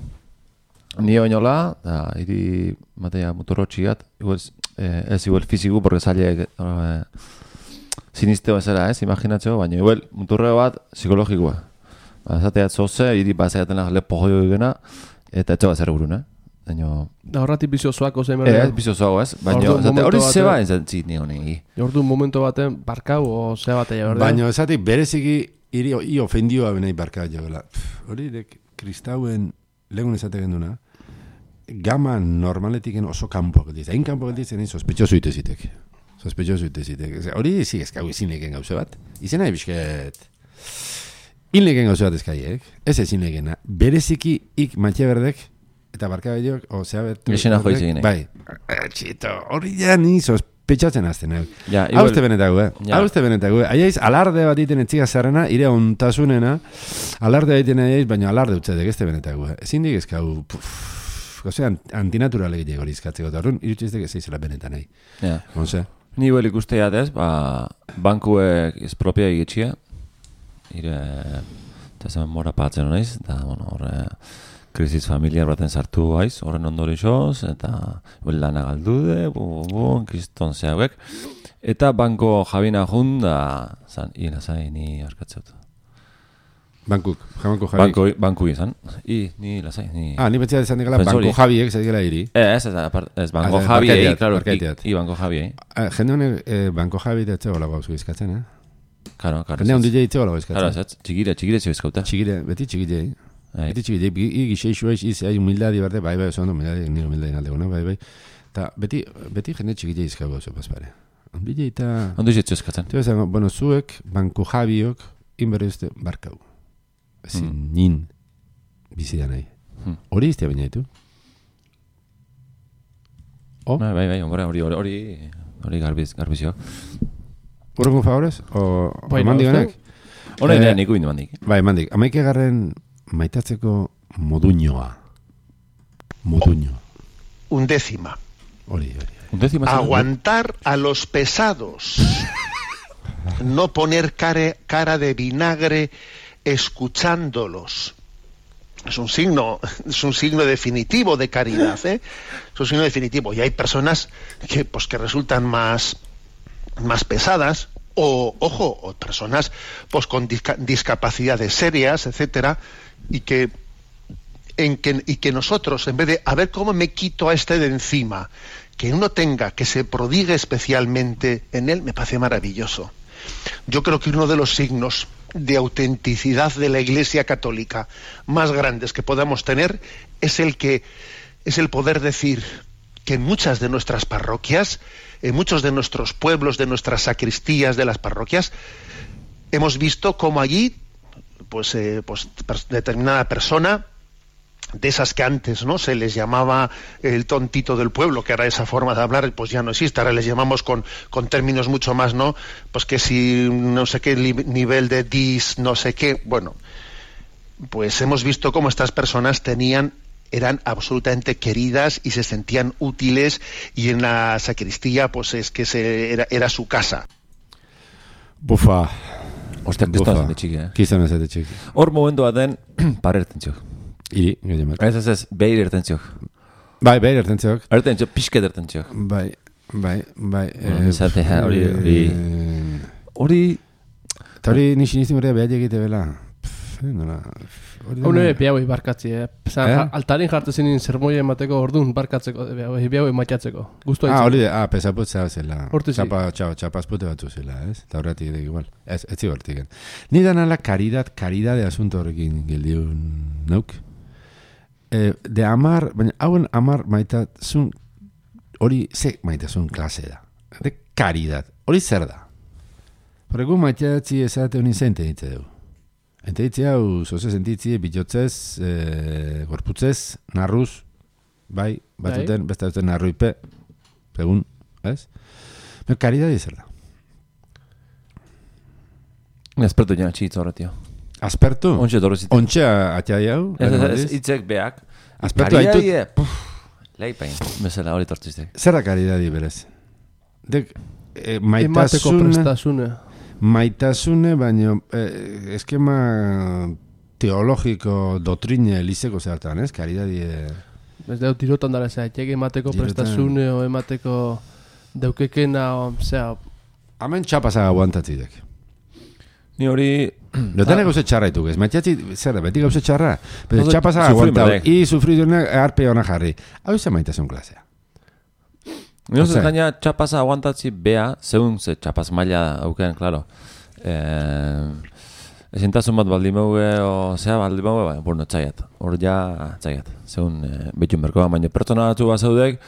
[SPEAKER 1] Ni bainola, da, hiri matea motorotxiat, igual, eh, ez igual fiziku, porque zailek eh, sinisteo ezera, ez, imaginatzeo, baina igual muturre bat psikologikoa. Ba, zateat zoze, hiri bazaten lepo joio egena, eta etxo bat zer gurun, eh? Baina,
[SPEAKER 3] Da horratik bizio zoako zein
[SPEAKER 1] eh, ez
[SPEAKER 3] berda.
[SPEAKER 1] bizo zoago, ez? Baina,
[SPEAKER 3] Orduan,
[SPEAKER 1] zate, hori
[SPEAKER 3] momentu
[SPEAKER 1] zeba
[SPEAKER 3] batean-
[SPEAKER 1] ez entzit ni honi.
[SPEAKER 3] Ordu momentu baten barkau o zea batea berda.
[SPEAKER 2] Baina esatik bereziki iri i ofendioa benei barka joela. Hori dek kristauen legun esate genduna. Gama normaletiken oso kanpo gelditzen. Hain kanpo gelditzen egin sospetxoso itezitek. Sospetxoso itezitek. Ose, hori zi eskau izin leken gauze bat. Izena ebisket. In leken gauze bat eskaiek. Ez ezin lekena. Bereziki ik matxe berdek eta barka behiok, o zea bet...
[SPEAKER 1] Gexena joiz egin, eh?
[SPEAKER 2] Bai. Eh, Txito, hori ja ni sospetxatzen azten, eh?
[SPEAKER 1] Ja,
[SPEAKER 2] Hau uste benetago, eh?
[SPEAKER 1] Ja.
[SPEAKER 2] Hau uste benetago, eh? Aiaiz, alarde bat iten etxiga zarrena, ire ontasunena, alarde bat iten aiaiz, baina alarde utzedek, ez te benetago, eh? Ezin dik ezkau, ozean, antinaturale egite hori izkatzeko, eta horren, irutxiztek ez eizela benetan nahi.
[SPEAKER 1] Ja.
[SPEAKER 2] Monse?
[SPEAKER 1] Ni bel ikuste jatez, ba, bankuek espropia egitxia, ire, eta zen mora patzen honaiz, eta, bueno, horre, krisis familiar baten sartu haiz, horren ondorixoz, eta bel lana galdude, bu, bu, bu, kriston zehauek, eta banko jabina jun, da, zan, ina zain, ni askatzeut.
[SPEAKER 2] Bankuk, jamanko jabi.
[SPEAKER 1] Banko, banku izan, i, ni lasai, ni...
[SPEAKER 2] Ah, ni betxea izan digala,
[SPEAKER 1] Ofensori.
[SPEAKER 2] banko jabiek, zaigela iri.
[SPEAKER 1] Eh, ez, ez, apart, ez, banko
[SPEAKER 2] Ah, ez,
[SPEAKER 1] jabiei,
[SPEAKER 2] barkaiteat,
[SPEAKER 1] claro, i,
[SPEAKER 2] barkaiteat.
[SPEAKER 1] i banko jabiei,
[SPEAKER 2] Ah, jende honek, eh, banko jabi eta etxe gola gauzu izkatzen, eh?
[SPEAKER 1] karo, karo,
[SPEAKER 2] Jende
[SPEAKER 1] ez,
[SPEAKER 2] hondile itxe gola
[SPEAKER 1] karo,
[SPEAKER 2] izkatzen.
[SPEAKER 1] ez, txigire, txigire zio izkauta.
[SPEAKER 2] Txigire, beti txigirei.
[SPEAKER 1] Bai.
[SPEAKER 2] Beti txigirei, i gixeixu eiz, iz, hai humildadi berde, bai, bai, oso ondo, humildadi, nire humildadi naldeguna, bai, bai. Ta beti, beti jende txigirei izkau gauzu, paspare. Ondile eta...
[SPEAKER 1] Ondo izetzu eskatzen.
[SPEAKER 2] Tio esan, bueno, zuek, banko jabiok, inberri uste barkau. Ezin hmm. nin bizidan nahi. Hmm. Hori iztea baina ditu?
[SPEAKER 1] Oh? Bai, bai, bai, hori, hori, hori, hori garbiz, garbizio.
[SPEAKER 2] Urrengo favorez? O
[SPEAKER 3] bai,
[SPEAKER 2] mandik honek?
[SPEAKER 1] Hora eh, niku indu mandik.
[SPEAKER 2] Bai, mandik. Amaike garren maitatzeko moduñoa. Moduño.
[SPEAKER 4] Undécima.
[SPEAKER 2] Hori, hori.
[SPEAKER 1] Undécima.
[SPEAKER 4] Aguantar a los pesados. No poner cara, cara de vinagre escuchándolos. Es un signo, es un signo definitivo de caridad, ¿eh? Es un signo definitivo. Y hay personas que, pues, que resultan más, más pesadas, o, ojo, o personas, pues, con disca, discapacidades serias, etcétera, y que, en que, y que nosotros, en vez de, a ver cómo me quito a este de encima, que uno tenga, que se prodigue especialmente en él, me parece maravilloso. Yo creo que uno de los signos de autenticidad de la Iglesia Católica más grandes que podamos tener es el que es el poder decir que en muchas de nuestras parroquias, en muchos de nuestros pueblos, de nuestras sacristías de las parroquias, hemos visto cómo allí, pues, eh, pues determinada persona, de esas que antes, ¿no?, se les llamaba el tontito del pueblo, que ahora esa forma de hablar pues ya no existe, ahora les llamamos con, con términos mucho más, ¿no?, pues que si no sé qué li- nivel de dis, no sé qué, bueno, pues hemos visto cómo estas personas tenían, eran absolutamente queridas y se sentían útiles, y en la sacristía pues es que se, era, era su casa.
[SPEAKER 2] Bufa.
[SPEAKER 1] Ostia, que estás de chiqui, eh?
[SPEAKER 2] Kizan ez de chiqui.
[SPEAKER 1] Hor momentua den, parerten txok.
[SPEAKER 2] Iri, gehiamak.
[SPEAKER 1] Ez ez ez, behir erten txok.
[SPEAKER 2] Bai, bai, erten txok.
[SPEAKER 1] Erten txok, pixket erten txok.
[SPEAKER 2] Bai, bai, bai.
[SPEAKER 1] Zate, hori, hori. Hori...
[SPEAKER 2] Eta hori nixin izin horrea behar egite bela. Nola...
[SPEAKER 3] Hone behau barkatzi, eh? Zan, eh? Altarin jartu zinin zermoia emateko orduan barkatzeko, behau matiatzeko. Gustu
[SPEAKER 2] ah, hori, ah, pesaputza zela.
[SPEAKER 3] Hortu zi.
[SPEAKER 2] Txapa, txapa, txapazpute batzu zela, ez? Eta horretik ere igual. Ez, ez zibartiken. Ni danala karidad, karidade asunto horrekin gildiun nauk. Eh, de amar, baina hauen amar maitasun, hori ze maitasun klase da. De karidad. Hori zer da. Horregu maiteatzi ezate honin zein tenitze dugu. Ente ditzi hau, zoze sentitzi, bilotzez, e, gorputzez, narruz, bai, batuten, besta duten narruipe, segun, ez? Pero karidadi zer da.
[SPEAKER 1] Aspertu jena txitz horretio.
[SPEAKER 2] Aspertu?
[SPEAKER 1] Ontxe dorrezit.
[SPEAKER 2] Ontxe atxai hau?
[SPEAKER 1] Ez, ez, itzek beak.
[SPEAKER 2] Aspertu haitut?
[SPEAKER 1] Leipain, bezala hori tortziztek.
[SPEAKER 2] Zer da karidadi berez? Dek, e,
[SPEAKER 3] Emateko
[SPEAKER 2] maitasune...
[SPEAKER 3] prestasune.
[SPEAKER 2] Maitasune, baino eh, eskema teologiko, dotrine, elizeko zertan, ez? Karidadi... Eh...
[SPEAKER 3] Ez deu tirotan dara, zera, txek emateko
[SPEAKER 2] Tirotan.
[SPEAKER 3] prestasune, o emateko deukekena, o, zera...
[SPEAKER 2] Hemen txapasa aguantatzidek.
[SPEAKER 1] Ni hori...
[SPEAKER 2] Lotane gauze txarra ituk, ez? Maitxatzi, zer da, beti gauze txarra. Pero txapasa
[SPEAKER 1] sufri
[SPEAKER 2] aguantau,
[SPEAKER 1] medek.
[SPEAKER 2] i sufridunak arpe hona jarri. Hau ze maitasun klasea.
[SPEAKER 1] Nio
[SPEAKER 2] Ose.
[SPEAKER 1] zez gaina txapasa aguantatzi bea, zeun ze txapaz maila auken, klaro. Eh, ezintasun bat baldi meue, o zea baldi meue, baina, bueno, txaiat. Hor ja, txaiat. Zeun, eh, betxun berkoa, baina pertsona batzu bat zaudek,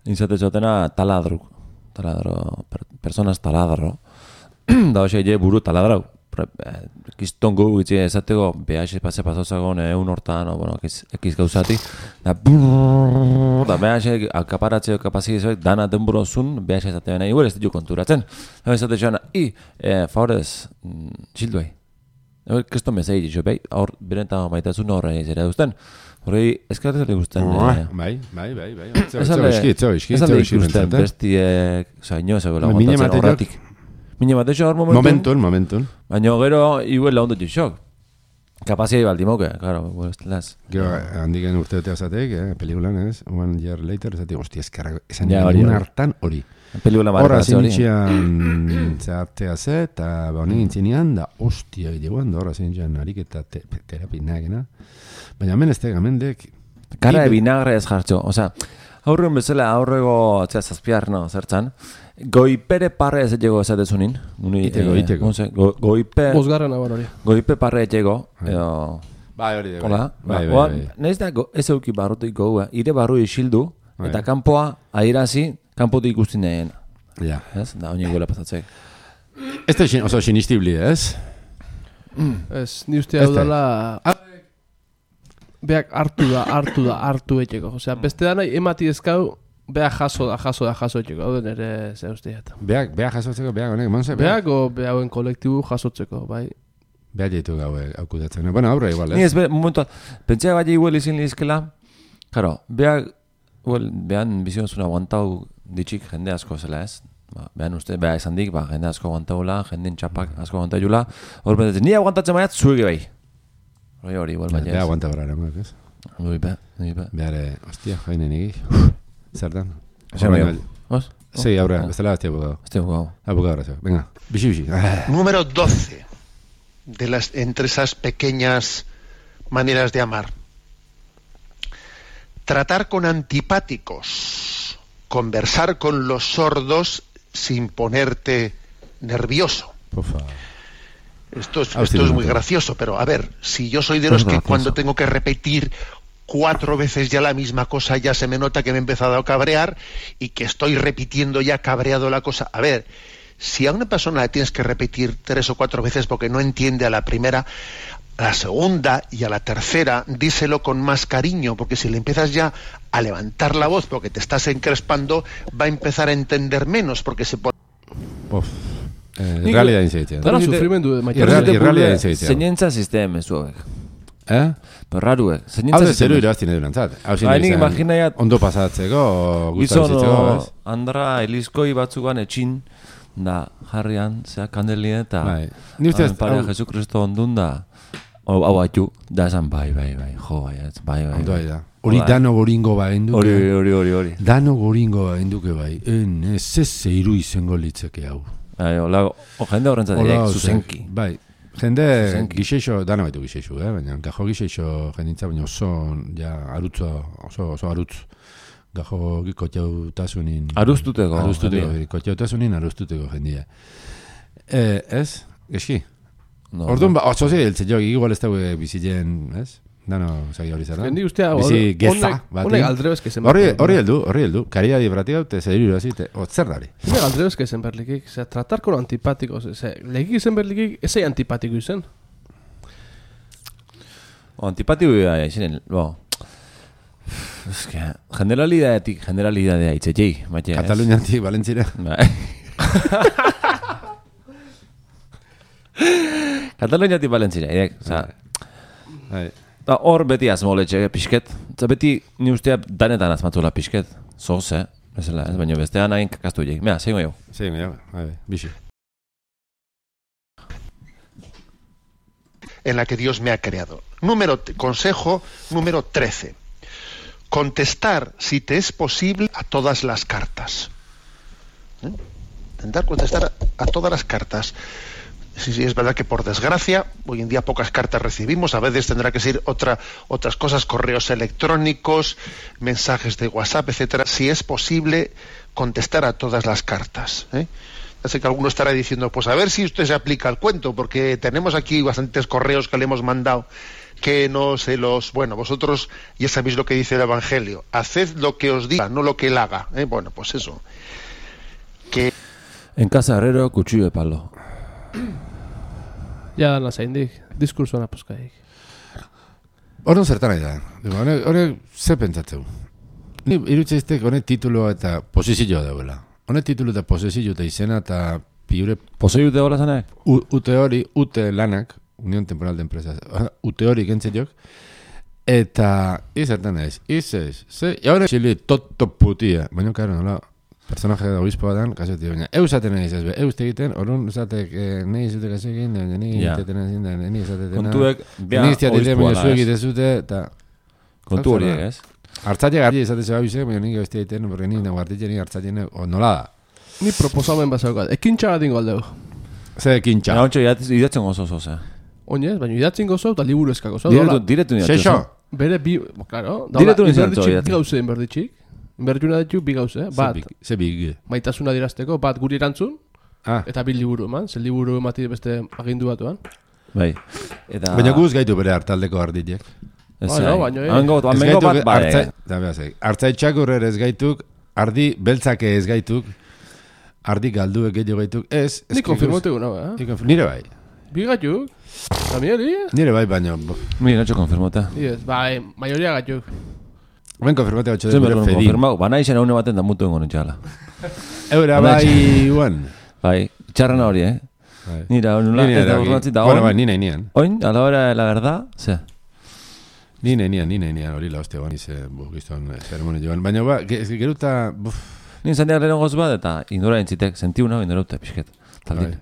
[SPEAKER 1] nintzate txotena taladru. Taladro, per, personas taladro. Da hoxe je buru taladrau. Kistongo gutxi esateko behaxe pase pasozagon egun hortan, o, bueno, ekiz, ekiz gauzati, da brrrr, da behaxe akaparatzeo kapazizioek dana denburozun behaxe esatean nahi, ez ditu konturatzen. Eta esate joan, i, eh, favorez, txilduei. Eta keston bezai ditu, behi, hor, berenta maitasun horre zera duzten. Horrei, eskarretzari guzten.
[SPEAKER 2] Bai, bai, bai, bai.
[SPEAKER 1] Ez alde ikusten bestiek, oza, ino ezagoela aguantatzen horretik. Mine batexo hor momentun.
[SPEAKER 2] Momentun, momentun.
[SPEAKER 1] Baina gero, iguela ondo txok. Kapazia ibaldi moke, claro, las.
[SPEAKER 2] Gero, handiken urteotea zateik, eh, pelikulan, ez? One year later, zateik, hostia, eskarra, esan
[SPEAKER 1] Ja,
[SPEAKER 2] ja,
[SPEAKER 1] hori,
[SPEAKER 2] egun
[SPEAKER 1] hori.
[SPEAKER 2] hartan hori.
[SPEAKER 1] Pelikula
[SPEAKER 2] Horra
[SPEAKER 1] markazio hori.
[SPEAKER 2] zinitxean zehartea ze, eta ba honi gintzinean, da, ostia, eguan, da, horra zinitxean ariketa te, terapi nagena. Baina hemen ez tega, mendek...
[SPEAKER 1] Kara de vinagre ez jartxo, oza, aurren bezala aurrego, txea zazpiar, no, zertzan, goipere parre ez etxego esatezunin.
[SPEAKER 2] Iteko, iteko.
[SPEAKER 1] Go, goipe,
[SPEAKER 3] Bosgarren aban hori.
[SPEAKER 1] goipe parre etxego, edo...
[SPEAKER 2] Bai, hori de,
[SPEAKER 1] Hola,
[SPEAKER 2] bai, bai,
[SPEAKER 1] oan,
[SPEAKER 2] bai.
[SPEAKER 1] nahiz da go, ez euki barrutik goua, ire barru isildu,
[SPEAKER 2] Bai.
[SPEAKER 1] eta kanpoa airazi, kanpotik ikusten nahien.
[SPEAKER 2] Ja.
[SPEAKER 1] Ez, da, oin gola pasatzek.
[SPEAKER 2] Ez da xin- oso sinistibli, ez?
[SPEAKER 3] Ez, ni uste hau dela... Beak hartu da, hartu da, hartu etxeko. Osea, beste da nahi emati ezkau, beak jaso da, jaso da, jaso etxeko. Hau den ere, ze usteat.
[SPEAKER 2] Beak, beak jasotzeko, beak honek, monse?
[SPEAKER 3] Beak o behauen kolektibu jasotzeko, bai.
[SPEAKER 2] Beak jaitu gaue aukudatzen. Bueno, aurre igual, ez?
[SPEAKER 1] Ni ez, be, momentu, pentsa bai igual izin lizkela, claro, beak, well, behan bizionzuna aguantau ditxik jende asko zela, ez? Ba, behan uste, beha esan dik, ba, jende asko aguantaula, jenden txapak asko aguantaiula, hor betetzen, ni aguantatzen baiat, zuege bai. Hori hori, igual baina ez.
[SPEAKER 2] Beha aguanta barra eramak, ez?
[SPEAKER 1] Hori be, hori be.
[SPEAKER 2] Beare, hostia, joinen egi. Zertan?
[SPEAKER 1] Zer bai, os?
[SPEAKER 2] Sí, aurre, bestela beste abogado.
[SPEAKER 1] Este abogado.
[SPEAKER 2] Abogado, gracias. Venga, bixi, bixi.
[SPEAKER 4] Número doce de las, entre esas pequeñas maneras de amar. Tratar con antipáticos, conversar con los sordos sin ponerte nervioso.
[SPEAKER 2] Por favor.
[SPEAKER 4] Esto es, esto es muy gracioso, pero a ver, si yo soy de los que cuando tengo que repetir cuatro veces ya la misma cosa, ya se me nota que me he empezado a cabrear y que estoy repitiendo ya cabreado la cosa. A ver, si a una persona le tienes que repetir tres o cuatro veces porque no entiende a la primera, a la segunda y a la tercera, díselo con más cariño, porque si le empiezas ya a levantar la voz porque te estás encrespando, va a empezar a entender menos porque se pone...
[SPEAKER 2] Uf. Eh, realidad inzeitzen.
[SPEAKER 3] Dara sufrimendu de maite.
[SPEAKER 2] Realidad inzeitzen.
[SPEAKER 1] Zeñentza sisteme zuek.
[SPEAKER 2] Eh?
[SPEAKER 1] Pero raruek.
[SPEAKER 2] Hau de zeru iraztine durantzat. Hau zin izan ondo pasatzeko, gustabizitzeko, ez?
[SPEAKER 1] Andra Elizkoi batzugan etxin da jarrian, zea kandelien eta
[SPEAKER 2] ni ustez
[SPEAKER 1] Parea Jesu Kristo ondun da hau batu, da esan bai, bai, bai, jo, bai, bai, bai.
[SPEAKER 2] Ondo da. Hori dano goringo ba enduke.
[SPEAKER 1] Hori, hori, hori, hori.
[SPEAKER 2] Dano goringo ba enduke bai. En, ez ez zeiru izango litzeke hau.
[SPEAKER 1] Bai, hola, jende horrentzat direk, zuzenki.
[SPEAKER 2] Bai, jende gixeixo, dana baitu gixeixo, eh? Baina gajo gixeixo jendintza, baina oso, ja, arutzo, oso, oso arutz. Gajo koteutasunin...
[SPEAKER 1] Aruztuteko.
[SPEAKER 2] Aruztuteko, koteutasunin aruztuteko jendia. Eh, ez? Geski? No, Orduan, no. Ba, oso zi, eltze jo, igual ez daue bizitzen, ez? Dano, zagi hori zara.
[SPEAKER 3] Jendi ustea,
[SPEAKER 2] bizi geza,
[SPEAKER 3] bat. Honek aldrebezke zen
[SPEAKER 2] berlikik. Horri heldu, horri heldu. Karia dibratia dute, zediru irazite, otzer dari.
[SPEAKER 3] Honek aldrebezke zen berlikik. Zer, tratar con antipáticos. Zer, legik zen berlikik, ezai antipatiko izen.
[SPEAKER 1] O, antipatiko izenen, bo... Es que, generalidadetik, generalidadea itzetei, maite, ez?
[SPEAKER 2] Kataluniantik, Valentzira.
[SPEAKER 1] Bai. Kataluniantik, Valentzira, idek, oza...
[SPEAKER 2] Bai.
[SPEAKER 1] Hor beti azmoletxe, pixket. Eta beti ni ustea danetan azmatula pixket. Zoz, eh? Ezela, ez baino bestean hain kakaztu egin. Mea, zein jo.
[SPEAKER 2] Zein jo, bai, bixi.
[SPEAKER 4] En la que Dios me ha creado. Número, consejo número trece. Contestar, si te es posible, a todas las cartas. ¿Eh? Intentar contestar a todas las cartas. Sí, sí, es verdad que por desgracia hoy en día pocas cartas recibimos, a veces tendrá que ser otra, otras cosas, correos electrónicos, mensajes de WhatsApp, etcétera. Si es posible, contestar a todas las cartas, ¿eh? Ya sé que alguno estará diciendo, pues a ver si usted se aplica al cuento, porque tenemos aquí bastantes correos que le hemos mandado que no se los... Bueno, vosotros ya sabéis lo que dice el Evangelio, haced lo que os diga, no lo que él haga, ¿eh? Bueno, pues eso. Que...
[SPEAKER 1] En casa herrero, cuchillo de palo.
[SPEAKER 3] Ja, dana zaindik, diskursoan aposkaik.
[SPEAKER 2] Horren zertan nahi da. Horre, ze pentsatzeu? Ni irutzeiztek honek tituloa eta posizioa dauela. Honek titulo eta posizio eta izena eta piure...
[SPEAKER 1] Posizio eta hola zanak?
[SPEAKER 2] Ute hori, ute lanak, Unión Temporal de Empresas, ute hori gentzetjok, eta izertan naiz, izez, ze, jaure xili toto putia, baina karo nola, personaje da obispoa dan, kaseti, baina eusaten nahi izaz, eus tegiten, orun esatek, nahi izutek asekin, nahi izateten nahi zindan, nahi izatetena,
[SPEAKER 1] kontuek, bea
[SPEAKER 2] obispoa da, zuek itezute, eta...
[SPEAKER 1] Kontu horiek, ez?
[SPEAKER 2] Hartzatik garri izatez abizek, baina nik bestia egiten, porque nik nago hartitzen, nik hartzatzen, nola da?
[SPEAKER 3] Ni proposamen bazaukat, ekintxa bat ingo aldeu.
[SPEAKER 2] Ze ekintxa?
[SPEAKER 1] Nahontxo, idatzen gozo zoz, eh?
[SPEAKER 3] Oinez, baina idatzen gozo eta liburu eskako zoz.
[SPEAKER 1] Diretu nidatzen zoz.
[SPEAKER 3] Bere bi, claro,
[SPEAKER 1] diretu nidatzen zoz.
[SPEAKER 3] Bi gauze inberditxik. Inberditxuna ditu bi gauze, bat.
[SPEAKER 2] Ze big.
[SPEAKER 3] Maitasuna dirazteko, bat guri erantzun,
[SPEAKER 2] ah.
[SPEAKER 3] eta bi liburu eman, ze liburu emati beste agindu batuan.
[SPEAKER 1] Bai. Eta...
[SPEAKER 2] Baina guz gaitu bere hartaldeko arditiek.
[SPEAKER 1] Ez no, baina... Hango bat bai.
[SPEAKER 2] Artzaitxak urrer ez gaituk, ardi beltzake ez gaituk, ardi galduek gehiago gaituk, ez...
[SPEAKER 3] Ni konfirmote guna, eh?
[SPEAKER 2] Nire bai.
[SPEAKER 3] Bigatuk? Zamiari?
[SPEAKER 2] Nire bai baino.
[SPEAKER 1] Mira, no konfirmota.
[SPEAKER 3] Yes, bai, maioria gatuk.
[SPEAKER 2] Ben konfirmate batxo
[SPEAKER 1] Zer
[SPEAKER 2] de
[SPEAKER 1] bergon
[SPEAKER 2] fedi.
[SPEAKER 1] konfirmau, bana izan haune baten da mutu engo nintxala.
[SPEAKER 2] Eura bai, guan.
[SPEAKER 1] Bai, txarrana hori, eh? Nira, nula,
[SPEAKER 2] Ni
[SPEAKER 1] ez da
[SPEAKER 2] nire
[SPEAKER 1] urratzi da
[SPEAKER 2] Bueno, bai,
[SPEAKER 1] oin.
[SPEAKER 2] ni nahi nian.
[SPEAKER 1] Oin, a la hora de la verdad, ze.
[SPEAKER 2] Ni nahi nian, ni nahi nian, hori la hostia, bani ze, bu, gizton, zeremoni joan. Baina, ba, ge- geruta, buf,
[SPEAKER 1] Nin zandeak lehen goz bat, eta indora entzitek, sentiu nago indora ute, pixket. Taldin.
[SPEAKER 2] Bai.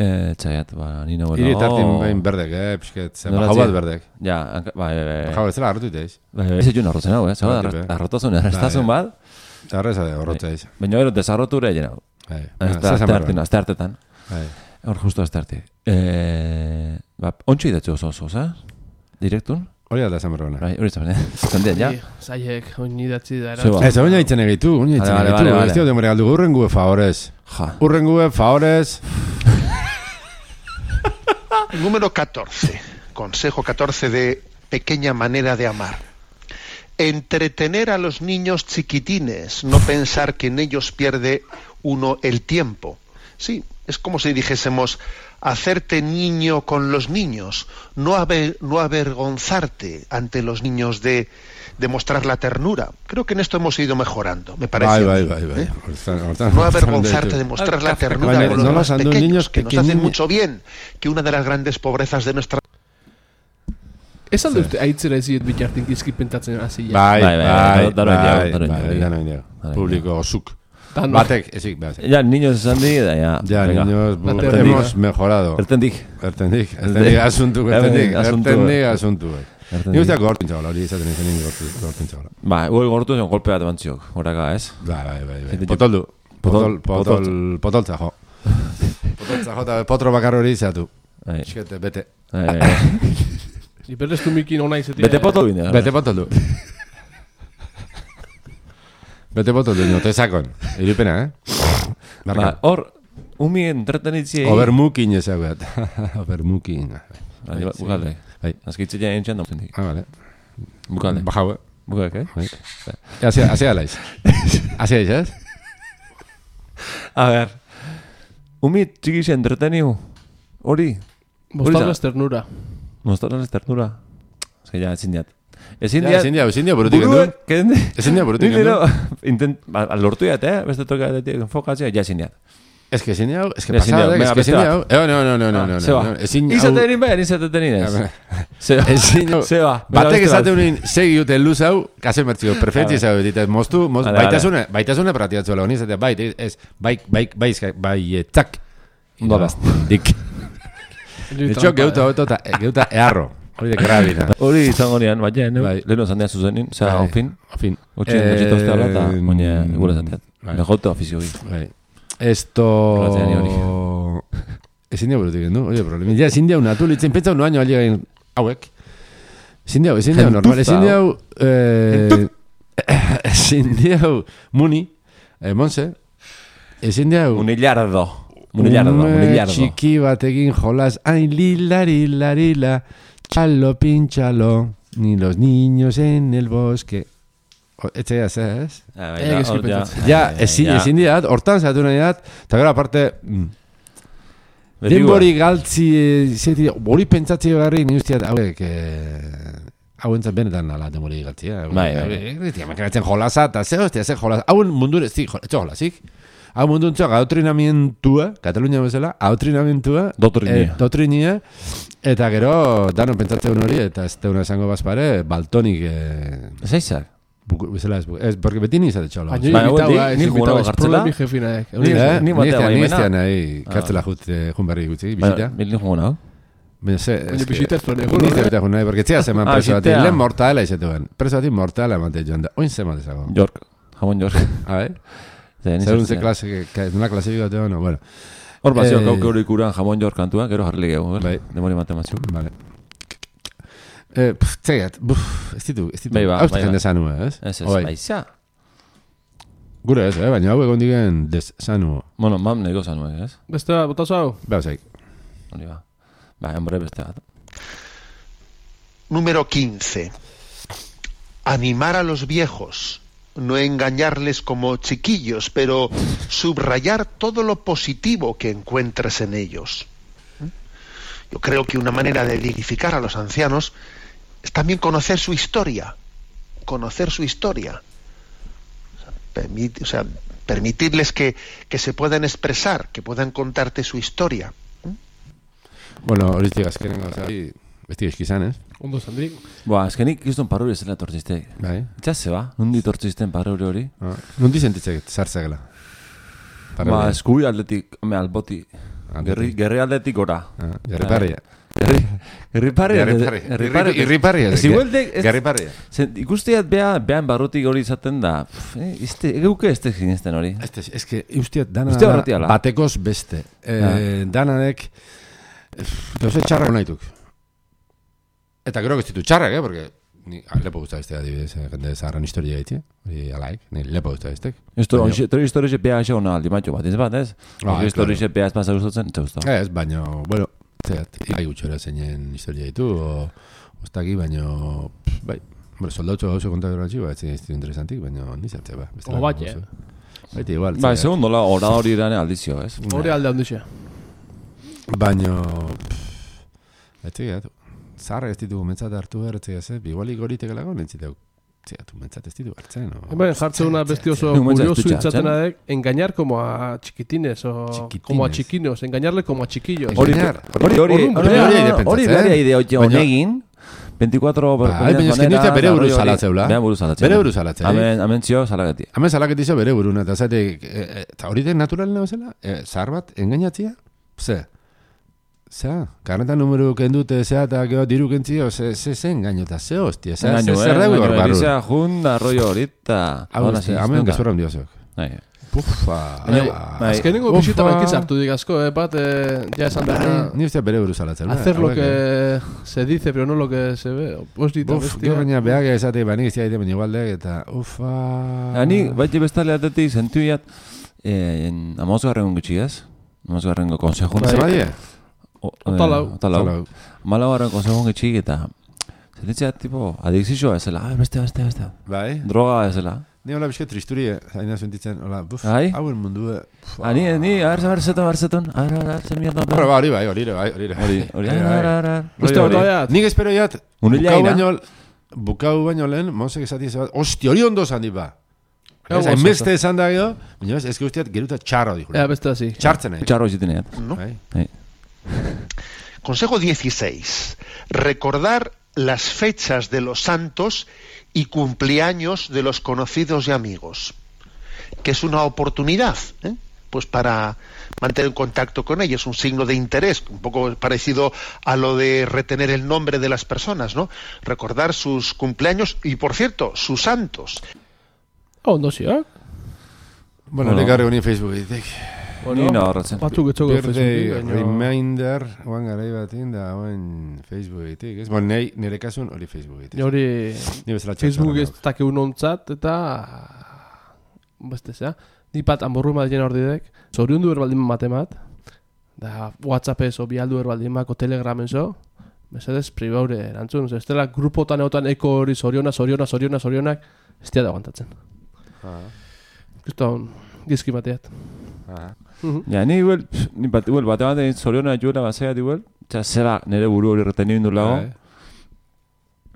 [SPEAKER 1] Eh, txaiat, ba, nina bueno.
[SPEAKER 2] hiri tartin bain berdek, eh, pixket, zen,
[SPEAKER 1] Nola
[SPEAKER 2] bajau
[SPEAKER 1] zi-
[SPEAKER 2] bat berdek.
[SPEAKER 1] Ja, hanka- bai, bai, bai.
[SPEAKER 2] Bajau ez zela harrotu iteiz.
[SPEAKER 1] Bai, bai, ez etxun arrotzen hau, eh? Zau,
[SPEAKER 2] Bai, tipe.
[SPEAKER 1] arrotazun, errestazun
[SPEAKER 2] Bai,
[SPEAKER 1] bat,
[SPEAKER 2] Arrez ade, horrotza eiz.
[SPEAKER 1] baina gero desarrotu ere egin hau.
[SPEAKER 2] Bai,
[SPEAKER 1] Azte hartetan, azte hartetan.
[SPEAKER 2] Bai.
[SPEAKER 1] Hor justo azte arte. Eh, ba, ontsu idatzu oso oso, za? Direktun?
[SPEAKER 2] Hori da esan berbana.
[SPEAKER 1] Bai, hori zaben, eh? Zandean, ja?
[SPEAKER 3] Zaiek, oin idatzi da.
[SPEAKER 1] Zeba.
[SPEAKER 2] Ez, oin haitzen egitu, oin haitzen
[SPEAKER 1] Vale, vale,
[SPEAKER 2] egitu.
[SPEAKER 1] vale,
[SPEAKER 2] Ez dio demore galdu, urren gue favorez.
[SPEAKER 1] Ja.
[SPEAKER 2] Urren gue favorez.
[SPEAKER 4] Número catorce. Consejo catorce de pequeña manera de amar. Entretener a los niños chiquitines, no pensar que en ellos pierde uno el tiempo. Sí, es como si dijésemos, hacerte niño con los niños, no, aver, no avergonzarte ante los niños de, de mostrar la ternura. Creo que en esto hemos ido mejorando, me parece.
[SPEAKER 2] Bai,
[SPEAKER 4] a mí,
[SPEAKER 2] bai, bai, bai.
[SPEAKER 4] ¿eh?
[SPEAKER 2] Hortan- hortan-
[SPEAKER 4] No
[SPEAKER 2] hortan
[SPEAKER 4] avergonzarte
[SPEAKER 2] deitu.
[SPEAKER 4] de mostrar la
[SPEAKER 3] Café,
[SPEAKER 4] ternura
[SPEAKER 2] Baina,
[SPEAKER 4] con los
[SPEAKER 2] nola
[SPEAKER 4] más
[SPEAKER 2] zandu
[SPEAKER 4] pequeños,
[SPEAKER 2] niños
[SPEAKER 4] que nos hacen
[SPEAKER 2] pequeñi-
[SPEAKER 4] mucho bien, que una de las grandes pobrezas de nuestra
[SPEAKER 3] Ez alde uste aitzera eziet bitartin gizki pentatzen hasi.
[SPEAKER 2] Bai,
[SPEAKER 1] Bai,
[SPEAKER 2] bai,
[SPEAKER 1] bai,
[SPEAKER 2] bai,
[SPEAKER 1] daro indiago,
[SPEAKER 2] bai,
[SPEAKER 1] daro
[SPEAKER 2] bai,
[SPEAKER 1] indiago.
[SPEAKER 2] daro indiago.
[SPEAKER 1] Daro
[SPEAKER 2] Publiko osuk.
[SPEAKER 3] Dan,
[SPEAKER 2] Batek, ezik, bai, ezik.
[SPEAKER 1] Ja, niños esan di, da, ja.
[SPEAKER 2] Ya,
[SPEAKER 1] venga.
[SPEAKER 2] niños, bu-
[SPEAKER 3] Ertendik.
[SPEAKER 2] hemos mejorado.
[SPEAKER 1] Ertendik.
[SPEAKER 2] Ertendik, ertendik asuntu, ertendik,
[SPEAKER 1] Asuntu.
[SPEAKER 2] ertendik asuntu. Ni
[SPEAKER 1] Ertendik.
[SPEAKER 2] usteak gortin txabala, hori izaten izan nini gortin txabala.
[SPEAKER 1] Ba, hori gortu zen golpe bat emantzioak, horaka, ez?
[SPEAKER 2] Bai, bai, bai, bai.
[SPEAKER 1] Gente-
[SPEAKER 2] Potoldu.
[SPEAKER 1] Potol-
[SPEAKER 2] Potol, potol, potoltza, jo. Potoltza, jo, eta potro bakar hori izatu.
[SPEAKER 1] Bai.
[SPEAKER 2] Eskete, bete.
[SPEAKER 1] Bai, bai, bai.
[SPEAKER 3] Iberreztu mikin ona izetia.
[SPEAKER 1] Bete poto bine.
[SPEAKER 2] Bete potoldu. Bete potoldu, no te sakon. Iripena, eh?
[SPEAKER 1] Ba,
[SPEAKER 2] Barka.
[SPEAKER 1] hor, umi entretenitziei...
[SPEAKER 2] Obermukin ezaguat. Obermukin.
[SPEAKER 1] Bai, bukalde.
[SPEAKER 2] Bai.
[SPEAKER 1] Azkitzea entxan da zendik.
[SPEAKER 2] Ah, vale.
[SPEAKER 1] Bukalde.
[SPEAKER 2] Bajau, eh?
[SPEAKER 1] Bukak, eh?
[SPEAKER 2] Bai. Hasia, hasia alaiz. Hasia aiz, ez?
[SPEAKER 1] A ver. Umi txikixe entreteniu. Hori.
[SPEAKER 3] Mostarrez ternura.
[SPEAKER 1] Mostrarles ternura. Ez que ja, ezin diat. Ezin
[SPEAKER 2] Ja,
[SPEAKER 1] diat...
[SPEAKER 2] ezin dia, ezin dia burutik endu.
[SPEAKER 1] Buruek, kende...
[SPEAKER 2] Ezin dia burutik
[SPEAKER 1] Ni
[SPEAKER 2] endu.
[SPEAKER 1] gero, intent... Ba, lortu diat, eh? Beste toka enfokatzea, ja ezin diat.
[SPEAKER 2] Ez que ezin dia, ez que
[SPEAKER 1] Ezin dia,
[SPEAKER 2] pasada, ez
[SPEAKER 1] venga,
[SPEAKER 2] que ezin
[SPEAKER 1] beste
[SPEAKER 2] dia.
[SPEAKER 1] bat.
[SPEAKER 2] Eh, no, no, no, no, no.
[SPEAKER 1] Zeba.
[SPEAKER 2] no, Ezin
[SPEAKER 1] Izaten nien behar, izaten nien ez. Zeba.
[SPEAKER 2] Ezin dia.
[SPEAKER 1] Zeba.
[SPEAKER 2] Batek esaten unin, segi dute luz hau, kase mertzio, perfetzi
[SPEAKER 1] Vale.
[SPEAKER 2] zau, ditez, moztu, moztu,
[SPEAKER 1] Vale,
[SPEAKER 2] baitasune, baitasune pratiatzu lau, nizatea, bai, ez, bai, bai, bai, bai, etzak.
[SPEAKER 1] Ondo da.
[SPEAKER 2] Dik. Etxo, geuta, geuta, eta- geuta, earro. Hori de karabina.
[SPEAKER 1] Hori izango nian, baina, ne?
[SPEAKER 2] Bai.
[SPEAKER 1] Leheno zandean zuzenin, zera,
[SPEAKER 2] Bai.
[SPEAKER 1] ofin.
[SPEAKER 2] Ofin.
[SPEAKER 1] Gotxin, gotxita uste habla, eta
[SPEAKER 2] Eh,
[SPEAKER 1] moine, gure zandeat.
[SPEAKER 2] bai.
[SPEAKER 1] Legote ofizio gui.
[SPEAKER 2] Bai. Esto...
[SPEAKER 1] Ratzean hori.
[SPEAKER 2] Ezin dia burutik endu, oie problemi. Ja, ezin dia unatu, litzen, pentsa un baino aligain hauek. Ezin dia, ezin dia normal, ezin dia eh, ezin dia muni, eh, Monse, ezin dia
[SPEAKER 1] Munillardo. Munillardo,
[SPEAKER 2] ume
[SPEAKER 1] munillardo.
[SPEAKER 2] txiki batekin jolas, ai, lilari, larila, chalo, pinchalo, ni los niños en el bosque. Etxe ya, ez?
[SPEAKER 1] Ah,
[SPEAKER 3] Eh,
[SPEAKER 1] bai,
[SPEAKER 3] eski
[SPEAKER 1] hor, ja.
[SPEAKER 3] pentsatzen.
[SPEAKER 2] Ja,
[SPEAKER 1] Ai,
[SPEAKER 2] ezin,
[SPEAKER 1] ja.
[SPEAKER 2] ezin diat, hortan zatu nahi dat, eta gero aparte, mm,
[SPEAKER 1] Beti
[SPEAKER 2] denbori galtzi, eh, zeti, hori pentsatzi beharri, ni usteat, hauek, eh, hau entzat benetan ala denbori galtzi, eh?
[SPEAKER 1] Bai, bai.
[SPEAKER 2] Bai, makinatzen jolasa, eta ze hostia, ze jolasa, hauen mundur ez, zik, etxo jolasik, hau mundu entzak adoktrinamientua, Katalunia bezala, adoktrinamientua,
[SPEAKER 1] Dotrinia.
[SPEAKER 2] eh, dotrinia, eta gero, danon pentsatzen hori, eta ez teuna esango bazpare, baltonik, eh,
[SPEAKER 1] Ez aizak.
[SPEAKER 2] buku, bezala ez, ez, porque beti nizate txola.
[SPEAKER 3] Baina
[SPEAKER 1] Bai,
[SPEAKER 3] invitau,
[SPEAKER 1] ni-
[SPEAKER 3] ez
[SPEAKER 1] ni
[SPEAKER 3] invitau,
[SPEAKER 1] jugago
[SPEAKER 3] ez
[SPEAKER 1] gartzela.
[SPEAKER 3] problemi jefinaek.
[SPEAKER 2] Ni, eh?
[SPEAKER 1] ni
[SPEAKER 2] Ni
[SPEAKER 1] batea
[SPEAKER 2] eztean, ni
[SPEAKER 1] baimena.
[SPEAKER 2] eztean nahi, kartzela jut, eh, jun berri gutxi, bisita.
[SPEAKER 1] Bilin jugo nago.
[SPEAKER 2] Baina ze,
[SPEAKER 3] Baina
[SPEAKER 2] eske-
[SPEAKER 3] bisita ez zuen
[SPEAKER 2] Ni
[SPEAKER 3] egun,
[SPEAKER 2] ez
[SPEAKER 3] eh?
[SPEAKER 2] dut nahi, porque txea zeman
[SPEAKER 1] Ah,
[SPEAKER 2] preso bati,
[SPEAKER 1] bisitea.
[SPEAKER 2] lehen mortala izetuen. Preso bati mortala emate joan da. Oin zeman dezago.
[SPEAKER 1] York. Jamon York.
[SPEAKER 2] A ver,
[SPEAKER 1] Zer,
[SPEAKER 2] según ze klase, una klasifikatu, no, bueno.
[SPEAKER 1] Hor bazio
[SPEAKER 2] Eh,
[SPEAKER 1] kauke hori ikuran jamon York kantua, gero jarri gego,
[SPEAKER 2] Bai.
[SPEAKER 1] ber? Demori matematzuk.
[SPEAKER 2] Vale. Eh, pff, txegat, buf, ez ditu, ez ditu.
[SPEAKER 1] Bai, ba,
[SPEAKER 2] Hau ez
[SPEAKER 1] bai,
[SPEAKER 2] jende
[SPEAKER 1] ba.
[SPEAKER 2] sanu, ez?
[SPEAKER 1] Ez, ez,
[SPEAKER 2] Oi.
[SPEAKER 1] baiza.
[SPEAKER 2] Gure ez, eh? Baina hau egon digen des sanu.
[SPEAKER 1] Bueno, mam nego zanuek, ez?
[SPEAKER 3] Beste bat, botazo hau?
[SPEAKER 2] Beha zaik.
[SPEAKER 1] Hori ba. Ba, enbore beste bat.
[SPEAKER 4] Número quince. Animar a los viejos, no engañarles como chiquillos, pero subrayar todo lo positivo que encuentres en ellos. ¿Mm? Yo creo que una manera de dignificar a los ancianos es también conocer su historia, conocer su historia. O sea, permit, o sea permitirles que, que se puedan expresar, que puedan contarte su historia. ¿Mm?
[SPEAKER 2] Bueno, horitik azkenengo, o sea, besti eskizan, ez?
[SPEAKER 3] Ondo zandik.
[SPEAKER 1] Boa, azkenik izton paruri zela tortziste.
[SPEAKER 2] Bai.
[SPEAKER 1] Itxaz zeba, nundi tortzisten paruri hori?
[SPEAKER 2] Ah, nundi sentitzek sartzegela?
[SPEAKER 1] Ba, eskubi aldetik, me alboti. Gerri, gerri aldetik ora.
[SPEAKER 2] Ah, gerri parria.
[SPEAKER 1] Gerri, gerri parria.
[SPEAKER 2] Gerri parria. Gerri parria.
[SPEAKER 1] Ez igualdek...
[SPEAKER 2] Gerri parria.
[SPEAKER 1] Ikustiat bea, behan barrutik hori izaten da. Egeuke ez tek zinezten hori.
[SPEAKER 2] Ez que, ustiat, dana batekoz beste. Dananek, doze txarrak naituk. Eta gero gestitu txarrak, eh, porque ni lepo gusta beste adibidez, jende zaharran historia egite, hori alaik, ni lepo gusta bestek.
[SPEAKER 1] Esto, tori historia bea eixo hona aldi matxo bat, ez bat, ez? Historia bea ez pasa gustatzen, ez gusta.
[SPEAKER 2] Ez, baina, bueno, zeat, ikai gutxora zeinen historia ditu, o, ostaki, baina, bai, bueno, soldautxo gauzo kontak dira txiba, ez zineztu interesantik, baina nizatze, ba.
[SPEAKER 3] O bat, eh?
[SPEAKER 2] Baita igual.
[SPEAKER 1] Ba, segun dola, hora hori irane aldizio, ez?
[SPEAKER 3] Hori alde handizio.
[SPEAKER 2] Baina, etxegat, zaharra ez ditugu mentzat hartu behar, etxegat, ez, igualik hori tegelako, nentziteu, etxegat, mentzat ez ditu hartzen, no?
[SPEAKER 3] Bueno, jartze una besti oso curioso itzatena dek, engañar como a chiquitines, o como a chiquinos, engañarle como a chiquillos.
[SPEAKER 1] Hori, hori, hori, hori, hori, hori, honegin, veinticuatro...
[SPEAKER 2] Bai, baina esken duzte bere buruz salatzeula.
[SPEAKER 1] Bere buruz salatzeula.
[SPEAKER 2] Bere buruz salatzeula.
[SPEAKER 1] Hemen, hemen zio salaketi.
[SPEAKER 2] Hemen salaketi zio bere buruna, eta zatek, eta hori den naturalena bezala, zahar bat, engainatzia, ze, zea, karnetan numero kendute, zea, eta geho diru kentzio, ze, ze, ze engaino, eta ze hostia, ze, ze, zer dago hor barru.
[SPEAKER 1] Engaino, junda, rollo horita.
[SPEAKER 2] Hau, hemen gezurra hundio zeok. Pufa.
[SPEAKER 3] Azkenengo bisita bankitza hartu dik asko, eh, bat, ja esan da.
[SPEAKER 2] Ni ustea bere buruz alatzen.
[SPEAKER 3] Hacer lo que se dice, pero no lo que se ve. Postita, bestia.
[SPEAKER 2] Gero baina behak esate, baina iztia egite baina igualdek, eta ufa.
[SPEAKER 1] Ani, baite bestale atetik, zentu iat, amazgarren gutxiaz, amazgarren konsejun.
[SPEAKER 2] Zer badie?
[SPEAKER 3] Otalau.
[SPEAKER 1] Otalau. Malagarren konsejun gutxik, eta zentitzea, tipo, adikzizioa ezela, beste, beste, beste.
[SPEAKER 2] Bai.
[SPEAKER 1] Droga ezela.
[SPEAKER 2] Ni hola bizke tristuri, haina sentitzen, hola, buf, hauen mundu...
[SPEAKER 1] Ani, ni, a ver, a ver, zeton, a ver, zeton, a ver, a ver, zer mierda...
[SPEAKER 2] Hora, ba, hori bai, hori bai, hori bai.
[SPEAKER 1] Hori, hori,
[SPEAKER 3] Uste bat baiat.
[SPEAKER 2] Nik espero jat, bukau baino, bukau baino lehen, monsek esati zebat, hosti, hori ondo zan dit ba. Enbeste esan da gero, baina ez, ezke usteat geruta txarro dijo.
[SPEAKER 3] Ea, beste así.
[SPEAKER 2] Txartzen nahi.
[SPEAKER 1] Txarro ziten nahi.
[SPEAKER 4] ¿No? Consejo dieciséis. Recordar las fechas de los santos y cumpleaños de los conocidos y amigos, que es una oportunidad, ¿eh? Pues para mantener en contacto con ellos, un signo de interés, un poco parecido a lo de retener el nombre de las personas, ¿no? Recordar sus cumpleaños y, por cierto, sus santos.
[SPEAKER 3] Oh, no sé, ¿eh?
[SPEAKER 2] Bueno, le cargo ni Facebook, dice.
[SPEAKER 1] Ni no horretzen.
[SPEAKER 3] Batzuk etxoko
[SPEAKER 2] Facebook. Reminder, oan garai batin da, oan Facebook egitek, ez? Bon, nire kasun hori Facebook egitek.
[SPEAKER 3] Hori Facebook ez dake unontzat, eta beste zea. Ni pat amborru madien hor didek, zorion du erbaldin matemat, da WhatsApp ez, obi aldu erbaldin mako Telegramen zo, mesedez pribaure erantzun, ez dela grupotan egotan eko hori zoriona, zoriona, zoriona, zorionak, ez da aguantatzen. Kristo gizki bateat.
[SPEAKER 1] Ja, ni igual, ni bat, igual, bate bat egin zoriona juela bazea igual, txa zera nire buru hori reteni bindu lago.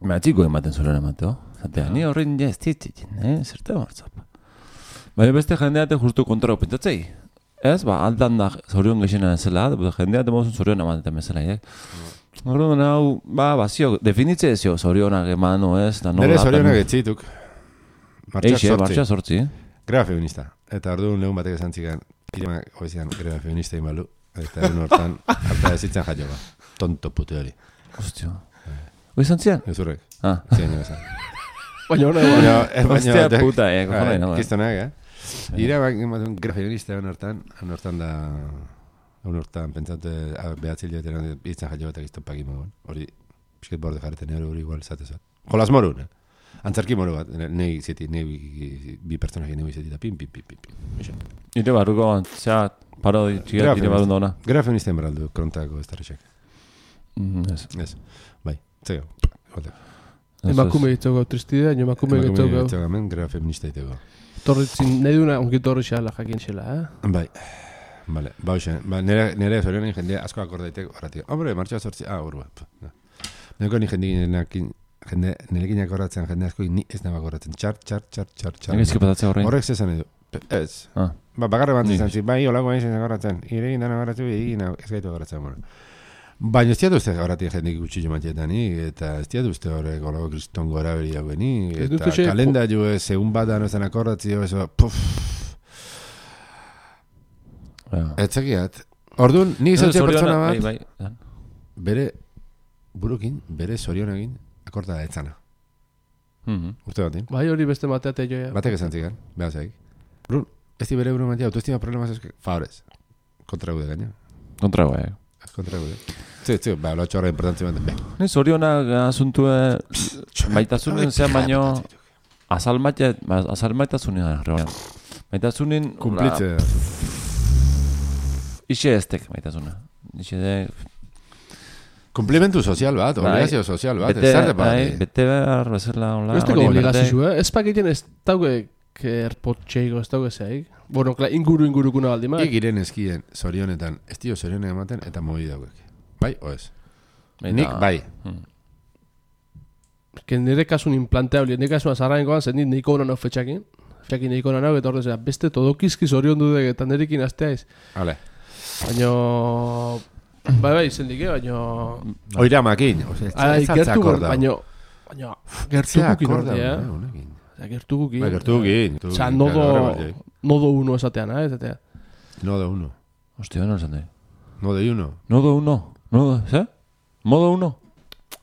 [SPEAKER 1] Baina txiko ematen zoriona emateo. Zatea, ni horrein ja ez ditzitzen, eh? Zerte martzap. Baina beste jendeate justu kontrako pentsatzei. Ez, ba, aldan da zorion gexena zela, jendeate mozun zoriona ematen bezala, eh? Horren hau, ba, bazio, definitze ezio zorionak emano ez.
[SPEAKER 2] Nere zorionak etzituk. Martxak sortzi.
[SPEAKER 1] Martxak sortzi.
[SPEAKER 2] Greba feminista. Eta orduan lehun batek esan txikan, irimak hoizian greba feminista imalu, eta egun hortan, harta ezitzen jaio ba. Tonto putu hori.
[SPEAKER 1] Ostio. Hoizan zian?
[SPEAKER 2] Ezurrek.
[SPEAKER 1] Ah.
[SPEAKER 2] Zien esan.
[SPEAKER 3] Baina hona egon.
[SPEAKER 1] Ostia puta, eh, cojones, no.
[SPEAKER 2] Kistonak, eh. Iramak ematun greba feminista egun hortan, egun hortan da, egun hortan, pentsante, behatzil joetan, itzen jaio batak iztopak imogon. Hori, pisket borde jarreten, hori igual zatezat. Jolas morun, eh. Antzarki moro bat, nahi zeti, nahi bi pertsonak nahi zeti da pim, pim, pim, pim, pim.
[SPEAKER 1] Ire barruko, zea, paro txigat, ire barrundo ona.
[SPEAKER 2] Gara feministen baraldu, krontako ez tarrexak.
[SPEAKER 1] Ez.
[SPEAKER 2] Ez, bai, zego.
[SPEAKER 3] Emakume ditzoko tristidea, nio emakume ditzoko.
[SPEAKER 2] Emakume ditzoko, gara feminista ditzoko.
[SPEAKER 3] Torritzin, nahi duna, onki torri xala jakin xela, eh?
[SPEAKER 2] Bai. Vale, ba, hoxe, ba, nire, nire zorionen jende asko akordaitek horretik. Hombre, martxoa sortzi, ah, urba. Neko ni jendekin, jende, nirekin akordatzen jende asko ni ez nabak akordatzen. Txar, txar, txar, txar, txar.
[SPEAKER 1] Egizki patatzea horrein?
[SPEAKER 2] Horrek zezan edu. Ez.
[SPEAKER 1] Ah.
[SPEAKER 2] Ba, bakarre bat zizan, bai, olako bain zen akordatzen. Iregin dana akordatzu, egin ez gaitu akordatzen, bueno. Baina ez diatu uste horretik jendik gutxillo matxetani, eta ez diatu uste horrek olako kriston gora beri dagoeni, eta kalenda jo ez, egun bat da nozan akordatzio, eso, puf. Etzekiat. Orduan, ni izan pertsona bat, bere burukin, bere zorionagin, akorda da etzana. Urte batin.
[SPEAKER 3] Bai, hori beste mateate joa.
[SPEAKER 2] Batek esan zigan, behazaik. Brun, ez di bere buru mantia, autoestima problemas ez, favorez. Kontra gude gaina.
[SPEAKER 1] Kontra gude.
[SPEAKER 2] Kontra gude. Zi, zi, ba, lo txorra importantzi bat.
[SPEAKER 1] Ni zorionak asuntue, maitasunen zean baino, azal maitasunen, maitasunen,
[SPEAKER 2] kumplitze.
[SPEAKER 1] Ixe estek maitasuna. Ixe de...
[SPEAKER 2] Komplimentu sozial bat, obligazio sozial bat, ez zarte bat.
[SPEAKER 1] Bete behar, bezerla onla.
[SPEAKER 3] Ez teko obligazio, eh? Ez pakiten ez dauke erpotxeiko, ez dauke zeik. Bueno, inguru ingurukuna baldi, ma?
[SPEAKER 2] Igiren eskien zorionetan, ez dio zorionen ematen eta mobi dauek. Bai, o ez? Nik, bai.
[SPEAKER 3] Que nire kasun implanteable, nire kasun azarrainkoan, zen dit niko honan hau fetxakin. Fetxakin niko honan hau, eta horrezea, beste todokizki zorion dudek, eta nirekin azteaiz.
[SPEAKER 2] Hale.
[SPEAKER 3] Baina... Bai, bai, zendike, baina...
[SPEAKER 2] Oira makin.
[SPEAKER 3] Gertu gorda. Baina... Baina... Gertukukin ordi, eh? Gertukukin.
[SPEAKER 2] Bai, gertukukin.
[SPEAKER 3] Osa, nodo... Nodo uno esatean, eh? Esatea.
[SPEAKER 2] Nodo uno.
[SPEAKER 1] Hostia, no esan nahi.
[SPEAKER 2] Nodo uno.
[SPEAKER 1] Nodo uno. Nodo, ze? Modo uno.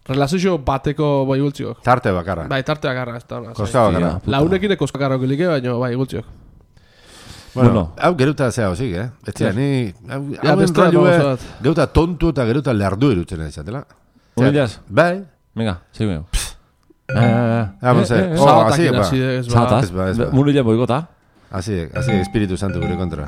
[SPEAKER 3] Relazio bateko bai gultziok.
[SPEAKER 2] Tarte bakarra.
[SPEAKER 3] Bai, tarte bakarra.
[SPEAKER 2] Koska bakarra.
[SPEAKER 3] Launekin koska bakarra gilike, baina bai gultziok.
[SPEAKER 2] Bueno, hau geruta zea hozik, eh? Etzia, ni... Hau enrollue, geruta tontu eta geruta lehardu irutzen izatela.
[SPEAKER 1] Unilaz?
[SPEAKER 2] Bai.
[SPEAKER 1] Venga, segu ego.
[SPEAKER 2] Vamos a ver. Oh, así es,
[SPEAKER 3] va.
[SPEAKER 1] Zata, munilaz boigota.
[SPEAKER 2] Así, así, Espíritu Santo gure kontra.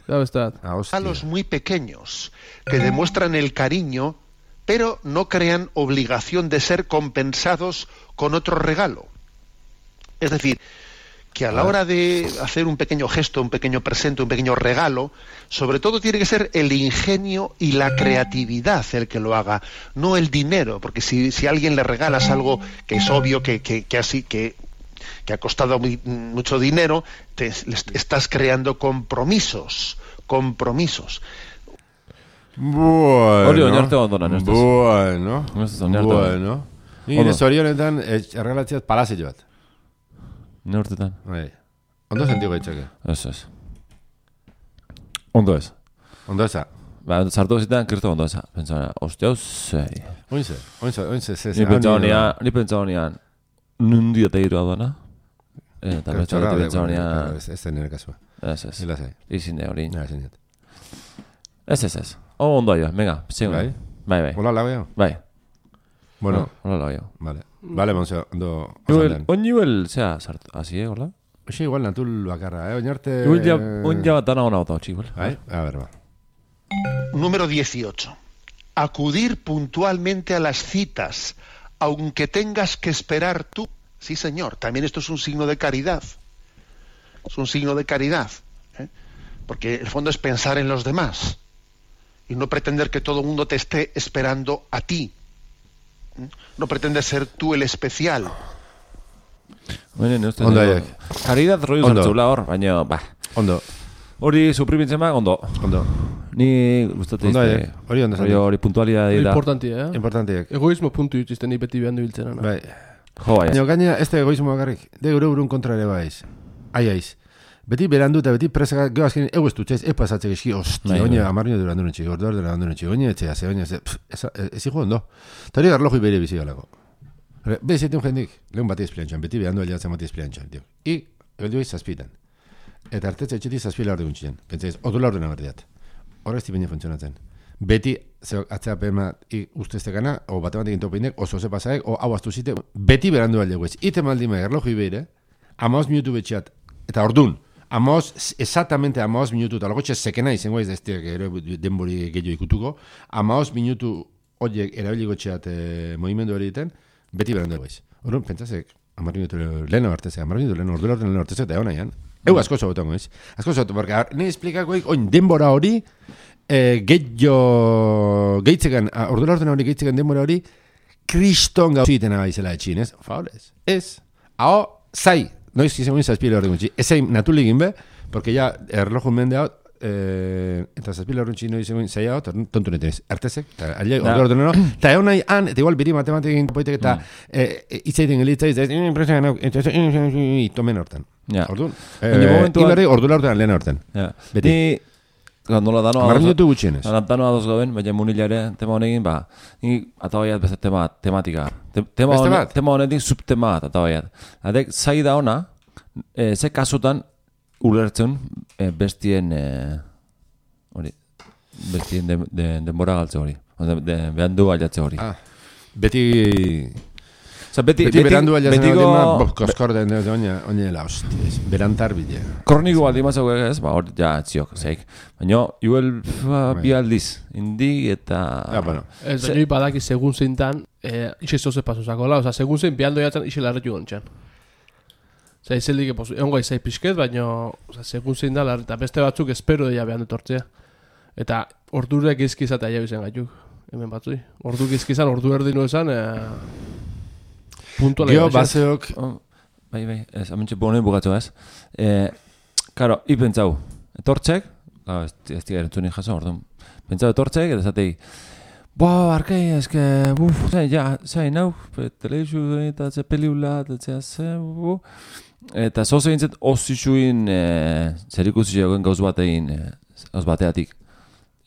[SPEAKER 3] Ya está.
[SPEAKER 4] A los muy pequeños, que demuestran el cariño, pero no crean obligación de ser compensados con otro regalo. Es decir, que a la hora de hacer un pequeño gesto, un pequeño presente, un pequeño regalo, sobre todo tiene que ser el ingenio y la creatividad el que lo haga, no el dinero, porque si, si a alguien le regalas algo que es obvio que, que, que así que, que ha costado muy, mucho dinero, te estás creando compromisos, compromisos.
[SPEAKER 2] Bueno, bueno, bueno. Nire zorionetan erregalatziaz palazio bat.
[SPEAKER 1] Ne urtetan?
[SPEAKER 2] Bai. Ondo sentio gaitzake?
[SPEAKER 1] Ez, ez. Ondo ez.
[SPEAKER 2] Ondo eza?
[SPEAKER 1] Ba, sartu zitan, kirtu ondo eza. Pentsaunean, ostia, zei.
[SPEAKER 2] Oinze, oinze, oinze, ze, ze.
[SPEAKER 1] Ni pentsaunean, ni pentsaunean, nundi eta iru adona. Eta pentsaunean, pentsaunean...
[SPEAKER 2] Ez da nire kasua.
[SPEAKER 1] Ez, ez.
[SPEAKER 2] Hila zei.
[SPEAKER 1] Izine hori.
[SPEAKER 2] Ja, ezin jat.
[SPEAKER 1] Ez, ez, ez. O, ondo aio, venga, zigun.
[SPEAKER 2] Bai?
[SPEAKER 1] Bai, bai.
[SPEAKER 2] Hola, lau jo?
[SPEAKER 1] Bai.
[SPEAKER 2] Bueno.
[SPEAKER 1] Hola, lau jo.
[SPEAKER 2] Vale. Vale, Monse, ondo...
[SPEAKER 1] On nivel, zera, sartu, hazi, eh, hola?
[SPEAKER 2] Oxe, igual natul bakarra, eh? Oñarte...
[SPEAKER 1] Un ya bat dana hona bota, igual.
[SPEAKER 2] Bai? A ver, va.
[SPEAKER 4] Número dieciocho. Acudir puntualmente a las citas, aunque tengas que esperar tú. Sí, señor, también esto es un signo de caridad. Es un signo de caridad, ¿eh? Porque el fondo es pensar en los demás y no pretender que todo el mundo te esté esperando a ti. No pretendes ser tú el especial.
[SPEAKER 1] Bueno, no
[SPEAKER 2] ondo aiek.
[SPEAKER 1] Caridad rollo zartzula hor, baina, ba.
[SPEAKER 2] Ondo.
[SPEAKER 1] Hori suprimintzen ba, ondo.
[SPEAKER 2] Ondo.
[SPEAKER 1] Ni gustate
[SPEAKER 2] ondo aiek. Hori ondo
[SPEAKER 1] zaten. Hori puntualidad da.
[SPEAKER 3] Importantia, eh?
[SPEAKER 2] Importantiek.
[SPEAKER 3] Egoismo puntu dituzten ni beti behandu biltzen.
[SPEAKER 2] Bai.
[SPEAKER 1] Jo, bai.
[SPEAKER 2] Baina gaina, ez da egoismo bakarrik. De gure burun kontra ere baiz. Ai, aiz. Beti berandu eta beti presaka, gero azkenin, egu ez dutxez, ez pasatzek eski, ostia, oine, amarrino durandu nintxik, ordor durandu nintxik, oine, etxea, ze, oine, ze, ez hijo ondo. Eta hori garloju bere bizi galako. Bez, eten jendik, lehun bati espliantxan, beti berandu aliatzen bati espliantxan, tio. I, ebeldu eiz zazpitan. Eta artetza etxetik zazpila hor deguntxien. Pentsaiz, otula hor dena berdiat. Horre ez tipenia funtzionatzen. Beti, zeo, atzea pema, i usteztekana, o bate batekin topeinek, oso ze pasaek, o hau astu zite, beti berandu aliago ez. Ite maldima, garloju bere, amaoz minutu betxeat, eta ordun, Amos, exactamente amaos minutu, eta logotxe sekena izango ez deztiak denbori gehiago ikutuko, amaos minutu horiek erabiliko txeat eh, movimendu hori egiten, beti berandu egaiz. Horren, pentsazek, amar minutu leheno hartezek, amar minutu leheno, ordu leheno hartezek, eta egon nahian. Eu asko zobetongo, ez? Asko zobetongo, porque ne esplikakoik, oin, denbora hori, eh, gehiago, gehitzekan, ordura orten hori gehitzekan denbora hori, kriston gau zitena gaizela etxin, ez? Favorez, ez? Hau, zai, noiz gizemuen zazpile horren gutxi, ez zain natuligin be, porque ya erlojun mende hau, eh, eta zazpile horren gutxi noiz gizemuen zai hau, tontu netenez, artezek, eta alde ordura orten hori, eta egon nahi han, eta igual biri matematekin poitek eta itzaiten gelitzai, eta impresioan hau, eta tomen horten. Orduan, iberri ordura orten lehen horten. Beti.
[SPEAKER 1] Nola danoa
[SPEAKER 2] Marren dutu gutxienez.
[SPEAKER 1] Danoa doz gaben, baina munilare tema honekin, ba, ni atabaiat beste tema, tematika. Tema,
[SPEAKER 2] beste
[SPEAKER 1] hone,
[SPEAKER 2] bat?
[SPEAKER 1] tema honetik subtema bat atabaiat. Adek, zai da ona, e, ze kasutan ulertzen e, bestien, e, hori, bestien de, de, denbora galtze hori. De, de, behan du baiatze hori.
[SPEAKER 2] Ah, beti...
[SPEAKER 1] Osa, beti,
[SPEAKER 2] beti, beti berandu aiazen
[SPEAKER 1] betiko...
[SPEAKER 2] Betiko... Koskor den dut, oinela, hostiz, berantar bide.
[SPEAKER 1] Kroniko baldi matzako ez, ba, hor, ja, txiok, zeik. Baina, juel bi aldiz, indi eta...
[SPEAKER 2] Ja, bueno.
[SPEAKER 3] Ez, baina Se... badaki segun zintan, eh, ixe zoze pasuzako, la, oza, segun zin, bialdo jatzen, ixe larretu gontxan. Oza, izeldik, egon gai zai pixket, baina, oza, segun zin da, eta beste batzuk espero deia behan dutortzea. Eta, ordurek izkizatea jau izan gaituk, hemen batzui. Orduk izkizan, ordu erdinu esan, eh...
[SPEAKER 2] Gio, baseok...
[SPEAKER 1] Oh, bai, bai, ez, amentxe bonei bugatu ez. Eh, karo, hi pentsau, etortzek, ah, ez, ez tiga erantzuni jaso, orduan, pentsau etortzek, eta zatei, boa, arkei, eske, buf, zain, ja, zain, hau, televizu, eta ze peliula, eta ze, ze, bu, eta zoze gintzet, osisuin, eh, zer ikusi jogen gauz batein, eh, gauz bateatik,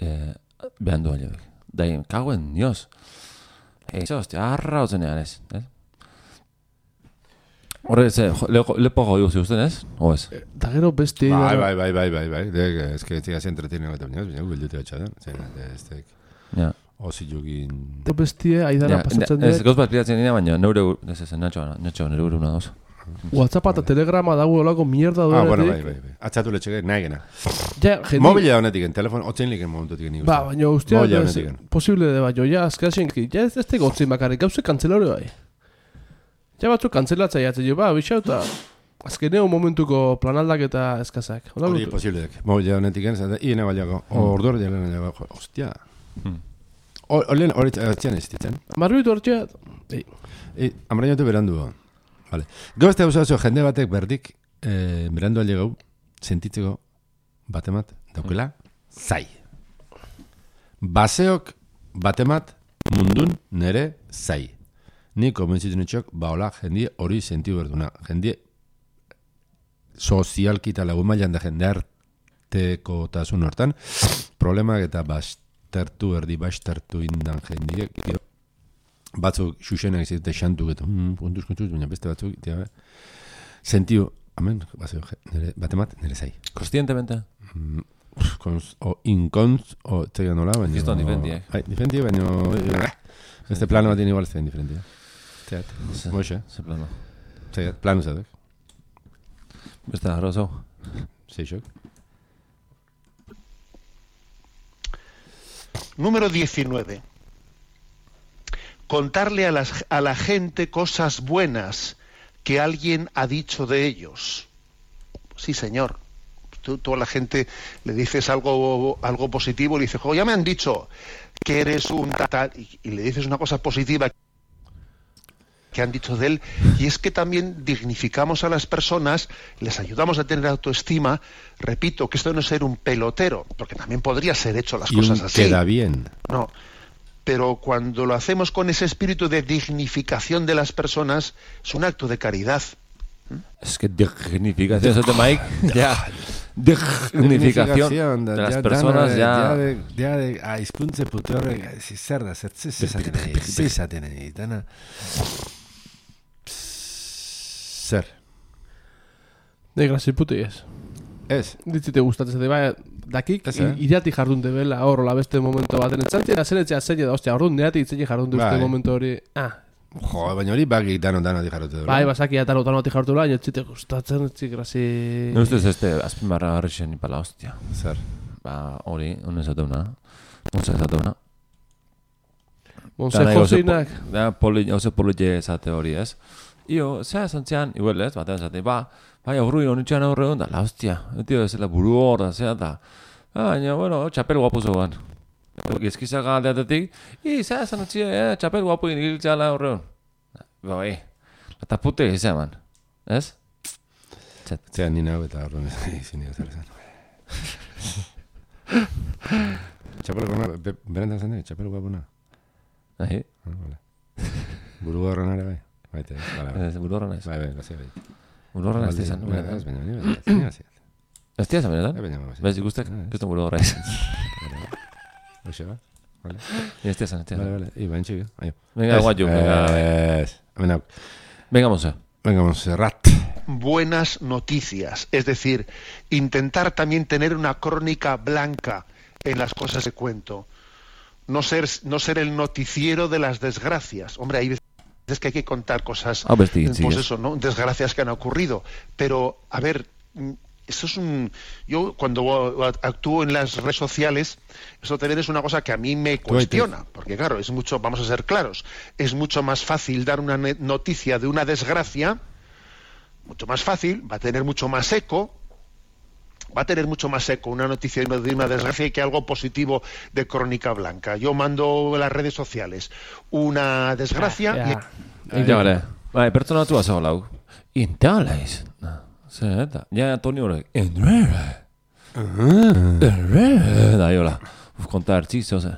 [SPEAKER 1] eh, behan du aliobek. Dain, kagoen, nioz. Eizo, hostia, arra hotzenean ez, ez? Horre, ze, lepo jodiu ziusten, ez? O ez?
[SPEAKER 3] Eta gero besti...
[SPEAKER 2] Bai, bai, bai, bai, bai, bai. Ez que ziga zi entretienen gota binaz, baina gubeldute batxadan. Ez tek...
[SPEAKER 1] Ja.
[SPEAKER 2] Osi jogin...
[SPEAKER 3] Eta bestie, aidara pasatzen dut.
[SPEAKER 1] Ez, gauz bat piratzen dira, baina neure... Ez ez, natxo, natxo, nire uru nadoz.
[SPEAKER 3] WhatsApp eta Telegrama dago olako mierda duenetik.
[SPEAKER 2] Ah, bueno, bai, bai, bai. Atxatu letxeke, nahi gena.
[SPEAKER 3] Ja, jendi...
[SPEAKER 2] Mobila honetik, telefon, otzen liken momentutik nik uste.
[SPEAKER 3] Ba, baina ustea...
[SPEAKER 2] Mobila honetik.
[SPEAKER 3] Posible de baino, ja, azkaxen, ja, ez teko otzin bakarrik, gauze kantzelario bai. Ja batzuk kantzelatzea jatzen jo, ba, bixau eta azkeneo momentuko planaldak eta eskazak.
[SPEAKER 2] Hori posiblek, mobila honetik egin, hiene baliako, ordu hori jalen baliako, ostia. Horren hori txan ez ditzen.
[SPEAKER 3] Marbitu hori txan,
[SPEAKER 2] ei. Amarainotu berandu. Vale. Gozte hau zauzo, jende batek berdik, eh, berandu alde gau, sentitzeko batemat, daukela, zai. Baseok batemat mundun nere zai. Ni konbentzitzen etxok, ba hola, jendie hori sentiu berduna. Jendie sozialki eta lagun mailan da jende arteko tasun hortan, problemak eta bastertu erdi, bastertu indan jendie. Batzuk xuxenak izate xantuk eta mm, kontuz, kontuz, baina beste batzuk, tia, sentiu, amen, batemat, nire zai.
[SPEAKER 1] Kostientemente?
[SPEAKER 2] Mm, cons, o incons, o txegan nola, baina...
[SPEAKER 1] Gizton difendiek.
[SPEAKER 2] Bai, difendiek, baina... Este plano bat igual zen diferentia. Zeat, moixe.
[SPEAKER 1] Ze plano.
[SPEAKER 2] Zeat, plano zatek.
[SPEAKER 1] Beste jarro zau.
[SPEAKER 2] Seixok.
[SPEAKER 4] Número diecinueve. Contarle a, las, a la gente cosas buenas que alguien ha dicho de ellos. Sí, señor. Tú, tú a la gente le dices algo, algo positivo y le dices, oh, ya me han dicho que eres un tal, y, y le dices una cosa positiva que han dicho de él, y es que también dignificamos a las personas, les ayudamos a tener autoestima. Repito, que esto no es ser un pelotero, porque también podría ser hecho las
[SPEAKER 2] y
[SPEAKER 4] cosas así.
[SPEAKER 2] Queda bien.
[SPEAKER 4] No, pero cuando lo hacemos con ese espíritu de dignificación de las personas, es un acto de caridad.
[SPEAKER 1] Es que dignificación, eso de Mike, ya, dignificación de las personas, ya...
[SPEAKER 2] Ya de aizkuntze putu horrek, zer da, zer zezaten nahi, zezaten nahi, dana... Zer?
[SPEAKER 3] De grazi puti ez.
[SPEAKER 2] Ez?
[SPEAKER 3] Ditzite gustatzen zede, bai, dakik, iriati jardun debela hor, la beste momento baten, etxantzia, zenetzea zeine da, ostia, orduan neati itzei jardun duzte momento hori, ah,
[SPEAKER 2] jo, baina hori baki dano dano di jarrote dut.
[SPEAKER 3] Bai, basaki dano dano di jarrote dut, baina txite gustatzen, txik grazi...
[SPEAKER 1] No ustez este, azpimarra garrixen ipala, hostia.
[SPEAKER 2] Zer?
[SPEAKER 1] Ba, hori, un esateuna, un esateuna.
[SPEAKER 3] Monsejo zeinak.
[SPEAKER 1] Da, poli, oso politxe esate hori, ez? Io, zea zantzean, igual, ez? Batean zaten, ba, bai, aurruin honitxean aurre hon, da, la hostia, etio, ez la buru hor, da, zea, da. Baina, bueno, txapel guapu zoan. Gizkizak aldeatetik, i, zea zantzia, eh, txapel guapu ingiltzala aurre hon. Ba, bai, eta pute izan, man, ez?
[SPEAKER 2] Zea nina hau eta horren izin dira zer esan. Txapel guapuna, berentan zen, txapel guapuna.
[SPEAKER 1] Ahi?
[SPEAKER 2] Buru horren ere bai. Baite, bale, bai.
[SPEAKER 1] Buru horren ez?
[SPEAKER 2] Bai, bai, gazia bai.
[SPEAKER 1] Buru horren ez dizan?
[SPEAKER 2] Ez baina, nire, ez baina,
[SPEAKER 1] ez dizan, benetan?
[SPEAKER 2] baina, baina.
[SPEAKER 1] Bez ikustek, kriston buru horren ez.
[SPEAKER 2] Oxe, ba? Vale.
[SPEAKER 1] Ez dizan, ez dizan.
[SPEAKER 2] Vale, vale, iba, entxik, aio.
[SPEAKER 1] Venga, guayu, venga.
[SPEAKER 2] Venga,
[SPEAKER 1] venga, Monse.
[SPEAKER 2] Venga, Monserrat.
[SPEAKER 4] Buenas noticias, es decir, intentar también tener una crónica blanca en las cosas que cuento. No ser, no ser el noticiero de las desgracias. Hombre, hay veces que hay que contar cosas,
[SPEAKER 1] ah, pues, sí,
[SPEAKER 4] pues
[SPEAKER 1] sí,
[SPEAKER 4] eso, ¿no? Desgracias que han ocurrido. Pero, a ver, eso es un... Yo cuando actúo en las redes sociales, eso también es una cosa que a mí me cuestiona. Porque claro, es mucho, vamos a ser claros, es mucho más fácil dar una noticia de una desgracia, mucho más fácil, va a tener mucho más eco, va a tener mucho más eco una noticia de una desgracia que algo positivo de crónica blanca. Yo mando en las redes sociales una desgracia...
[SPEAKER 1] Ja, ja. Vale, bai, pertsonatu azo lau. Intalaiz. Zer, eta, ja, Toni horrek. Enrere. Enrere. Da, jola. Uf, konta hartzizo, ze.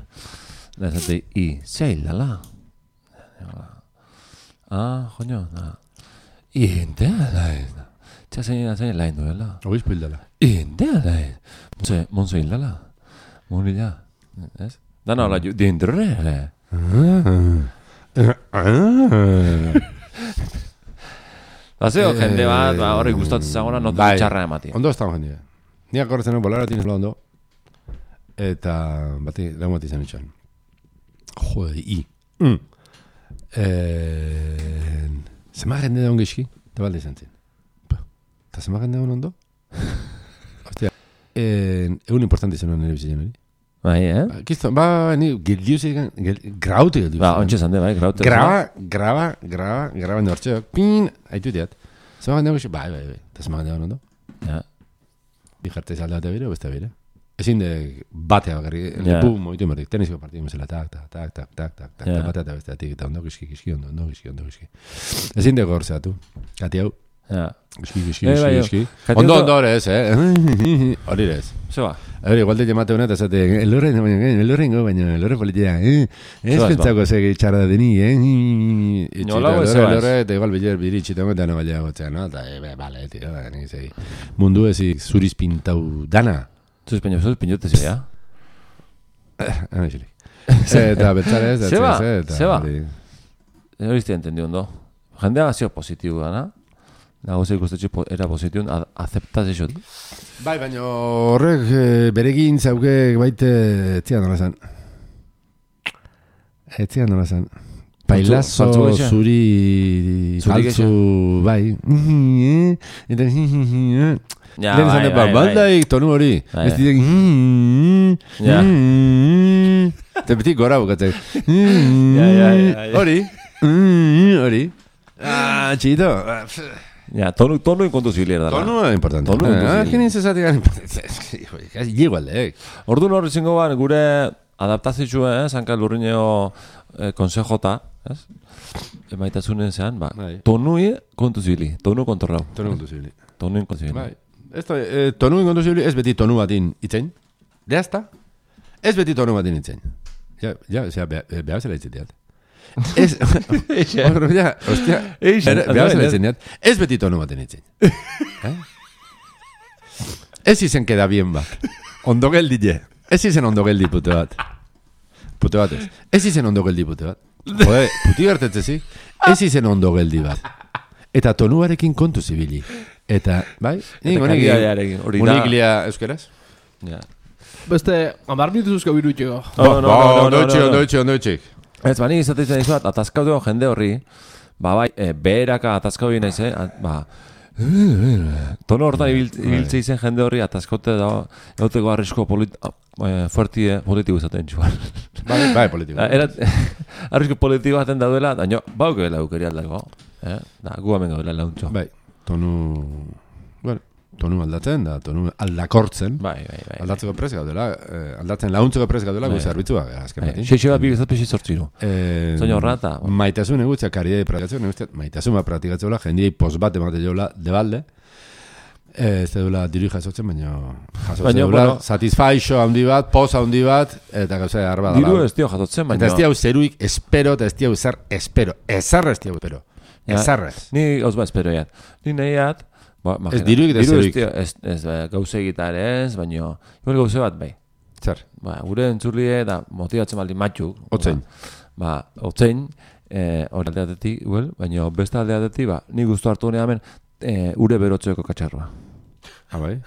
[SPEAKER 1] Da, zate, i, zeildala. Ah, joño, da. Intalaiz. Txa, zein, zein, lain duela.
[SPEAKER 2] Oiz pildala.
[SPEAKER 1] Intalaiz. Monse, Monse hildala. Monila. Ez? Da, no, la, di enrere. Bazeo, jende bat, ba, horri gustatzen zagona, notu txarra emati.
[SPEAKER 2] Ondo ez da jendea. Ni akorretzen hau bolara tinez ondo. Eta, bati, lehun bat izan itxan. Jode, i. Mm. Eh, zema jende da ongizki, eta balde izan zen. Eta zema jende da ondo? Hostia, eh, egun importante izan nire bizitzen hori.
[SPEAKER 1] Bai, eh?
[SPEAKER 2] Kiston, ba, ni, geldiuzik, graute geldiuzik.
[SPEAKER 1] Ba, ontsa zande, bai, graute.
[SPEAKER 2] Graba, graba, graba, graba nortxeok, pin, haitu diat. Zema jende ongizki, bai, bai, bai, eta zema jende da ondo?
[SPEAKER 1] Ja.
[SPEAKER 2] Bi jartez alde batea bire, o beste bire. Ezin de batea bakarri, lepu moitu emerdik, tenisiko partidu mesela, tak, tak, tak, tak, tak, tak, tak, tak, batea eta beste atik, eta ondo gizki, gizki, ondo, ondo gizki, ondo gizki. Ezin de gortzeatu, kati hau.
[SPEAKER 1] Ja.
[SPEAKER 2] Gizki, gizki, gizki, gizki. Ondo, ondo hori ez, eh? Hori ez.
[SPEAKER 1] Zeba.
[SPEAKER 2] Hori, igual de llamate honet, ezate, elorren, elorren go, baina, elorre politia, eh? Ez pentsako zegi txarra deni, eh?
[SPEAKER 1] Nola go, zeba ez?
[SPEAKER 2] Elorre, eta igual biler biritxitongo, eta no baila gotzea, no? Eta, eh, bale, tio, ni zei. Mundu ezik zuriz pintau dana.
[SPEAKER 1] Zuriz peño, zuriz peño, te zea?
[SPEAKER 2] Ah, xilik. Eta betzarez, eta
[SPEAKER 1] zeba,
[SPEAKER 2] eta...
[SPEAKER 1] zeba. Hori izte entendi ondo. Jendea gazio positibo dana. Nago ze ikustetxe era positiun, aceptaz eso.
[SPEAKER 2] Bai, baina horrek beregin zauke baite etzian nola zan. Etzian nola zan. Pailazo zuri faltzu, bai. Eta...
[SPEAKER 1] Ja, bai, bai,
[SPEAKER 2] baldaik tonu hori. Ez ditek... Eta betik gora bukatzek. Hori. Hori. Ah, txito.
[SPEAKER 1] Ja, tonu, tonu inkontuzibili da.
[SPEAKER 2] Tonu es importante.
[SPEAKER 1] Tonu
[SPEAKER 2] Ah, que necesario es llego al de.
[SPEAKER 1] Orduan hor izango ban gure adaptazioa, eh, Sanka Lurrineo eh, konsejota, ez? Emaitasunen zean, ba, tonui kontuzibili, tonu kontrolau.
[SPEAKER 2] Tonu kontuzibili.
[SPEAKER 1] Tonu inkontuzibili.
[SPEAKER 2] Bai. Esto eh, tonu inkontuzibili ez beti tonu batin itzein. Ya está. Ez beti tonu batin itzein. Ja, ja, o sea, beha zela itzeteat. Ez, ja, hostia, beha zela itzeneat. Ez beti tonu batin itzein. Eh? Ez izen queda bien bat. Ondo geldi je. Ez izen ondo geldi pute bat. Pute bat ez. Ez izen ondo geldi pute bat. Jode, puti gertetzezik. Ez izen ondo geldi bat. Eta tonuarekin kontu zibili. Eta, bai?
[SPEAKER 1] Eta kalitatearekin.
[SPEAKER 2] Uniklia euskeraz?
[SPEAKER 1] Ja.
[SPEAKER 3] Beste, amar minutu zuzko birutxeko.
[SPEAKER 1] No, no, no,
[SPEAKER 2] ondo itxik, ondo itxik, ondo itxik.
[SPEAKER 1] Ez, bani izatezen izuat, atazkautu jende horri, ba, bai, e, beheraka atazkau nahiz, eh? Ba, Tono hortan ibiltze izen jende horri ataskote da euteko arrisko fuertie politiko izaten txuan.
[SPEAKER 2] Bai, bai, politiko.
[SPEAKER 1] Arrisko politiko baten daudela, daño, bauke bela eukeri aldako. Da, gu hemen gaudela launtxo.
[SPEAKER 2] Bai, tonu... Bueno, tonu aldatzen, da, tonu aldakortzen.
[SPEAKER 1] Bai, bai, bai.
[SPEAKER 2] Aldatzeko prez gaudela, aldatzen launtzeko prez gaudela, gu zerbitzu azken batin.
[SPEAKER 1] Xeixo bat bibizat pixi sortziru. Zoin horrata.
[SPEAKER 2] Maitasun egutza, karidei praktikatzen, egutza, maitasun bat praktikatzen jola, jendiei pos bat emate jola, debalde. Ez dula diru jasotzen, baina jasotzen dula, satisfaixo handi bat, pos handi bat, eta gauza arba dala.
[SPEAKER 1] Diru ez dio jasotzen, baina...
[SPEAKER 2] Eta ez diau zeruik espero, eta ez diau zer espero. Ezarra ez diau espero. Ezarrez.
[SPEAKER 1] Ni gauz bat espero jat. Ni nahiat...
[SPEAKER 2] Ez diruik eta zeruik.
[SPEAKER 1] Ez gauze egitar ez, baina... Igual gauze bat bai.
[SPEAKER 2] Zer?
[SPEAKER 1] Gure entzulie da motibatzen baldin matxuk.
[SPEAKER 2] Otzein.
[SPEAKER 1] Ba, otzein, hori aldeatetik, baina beste aldeatetik, ba, ni guztu hartu gure hemen, ure berotxoeko katxarroa.
[SPEAKER 2] Ah, bai?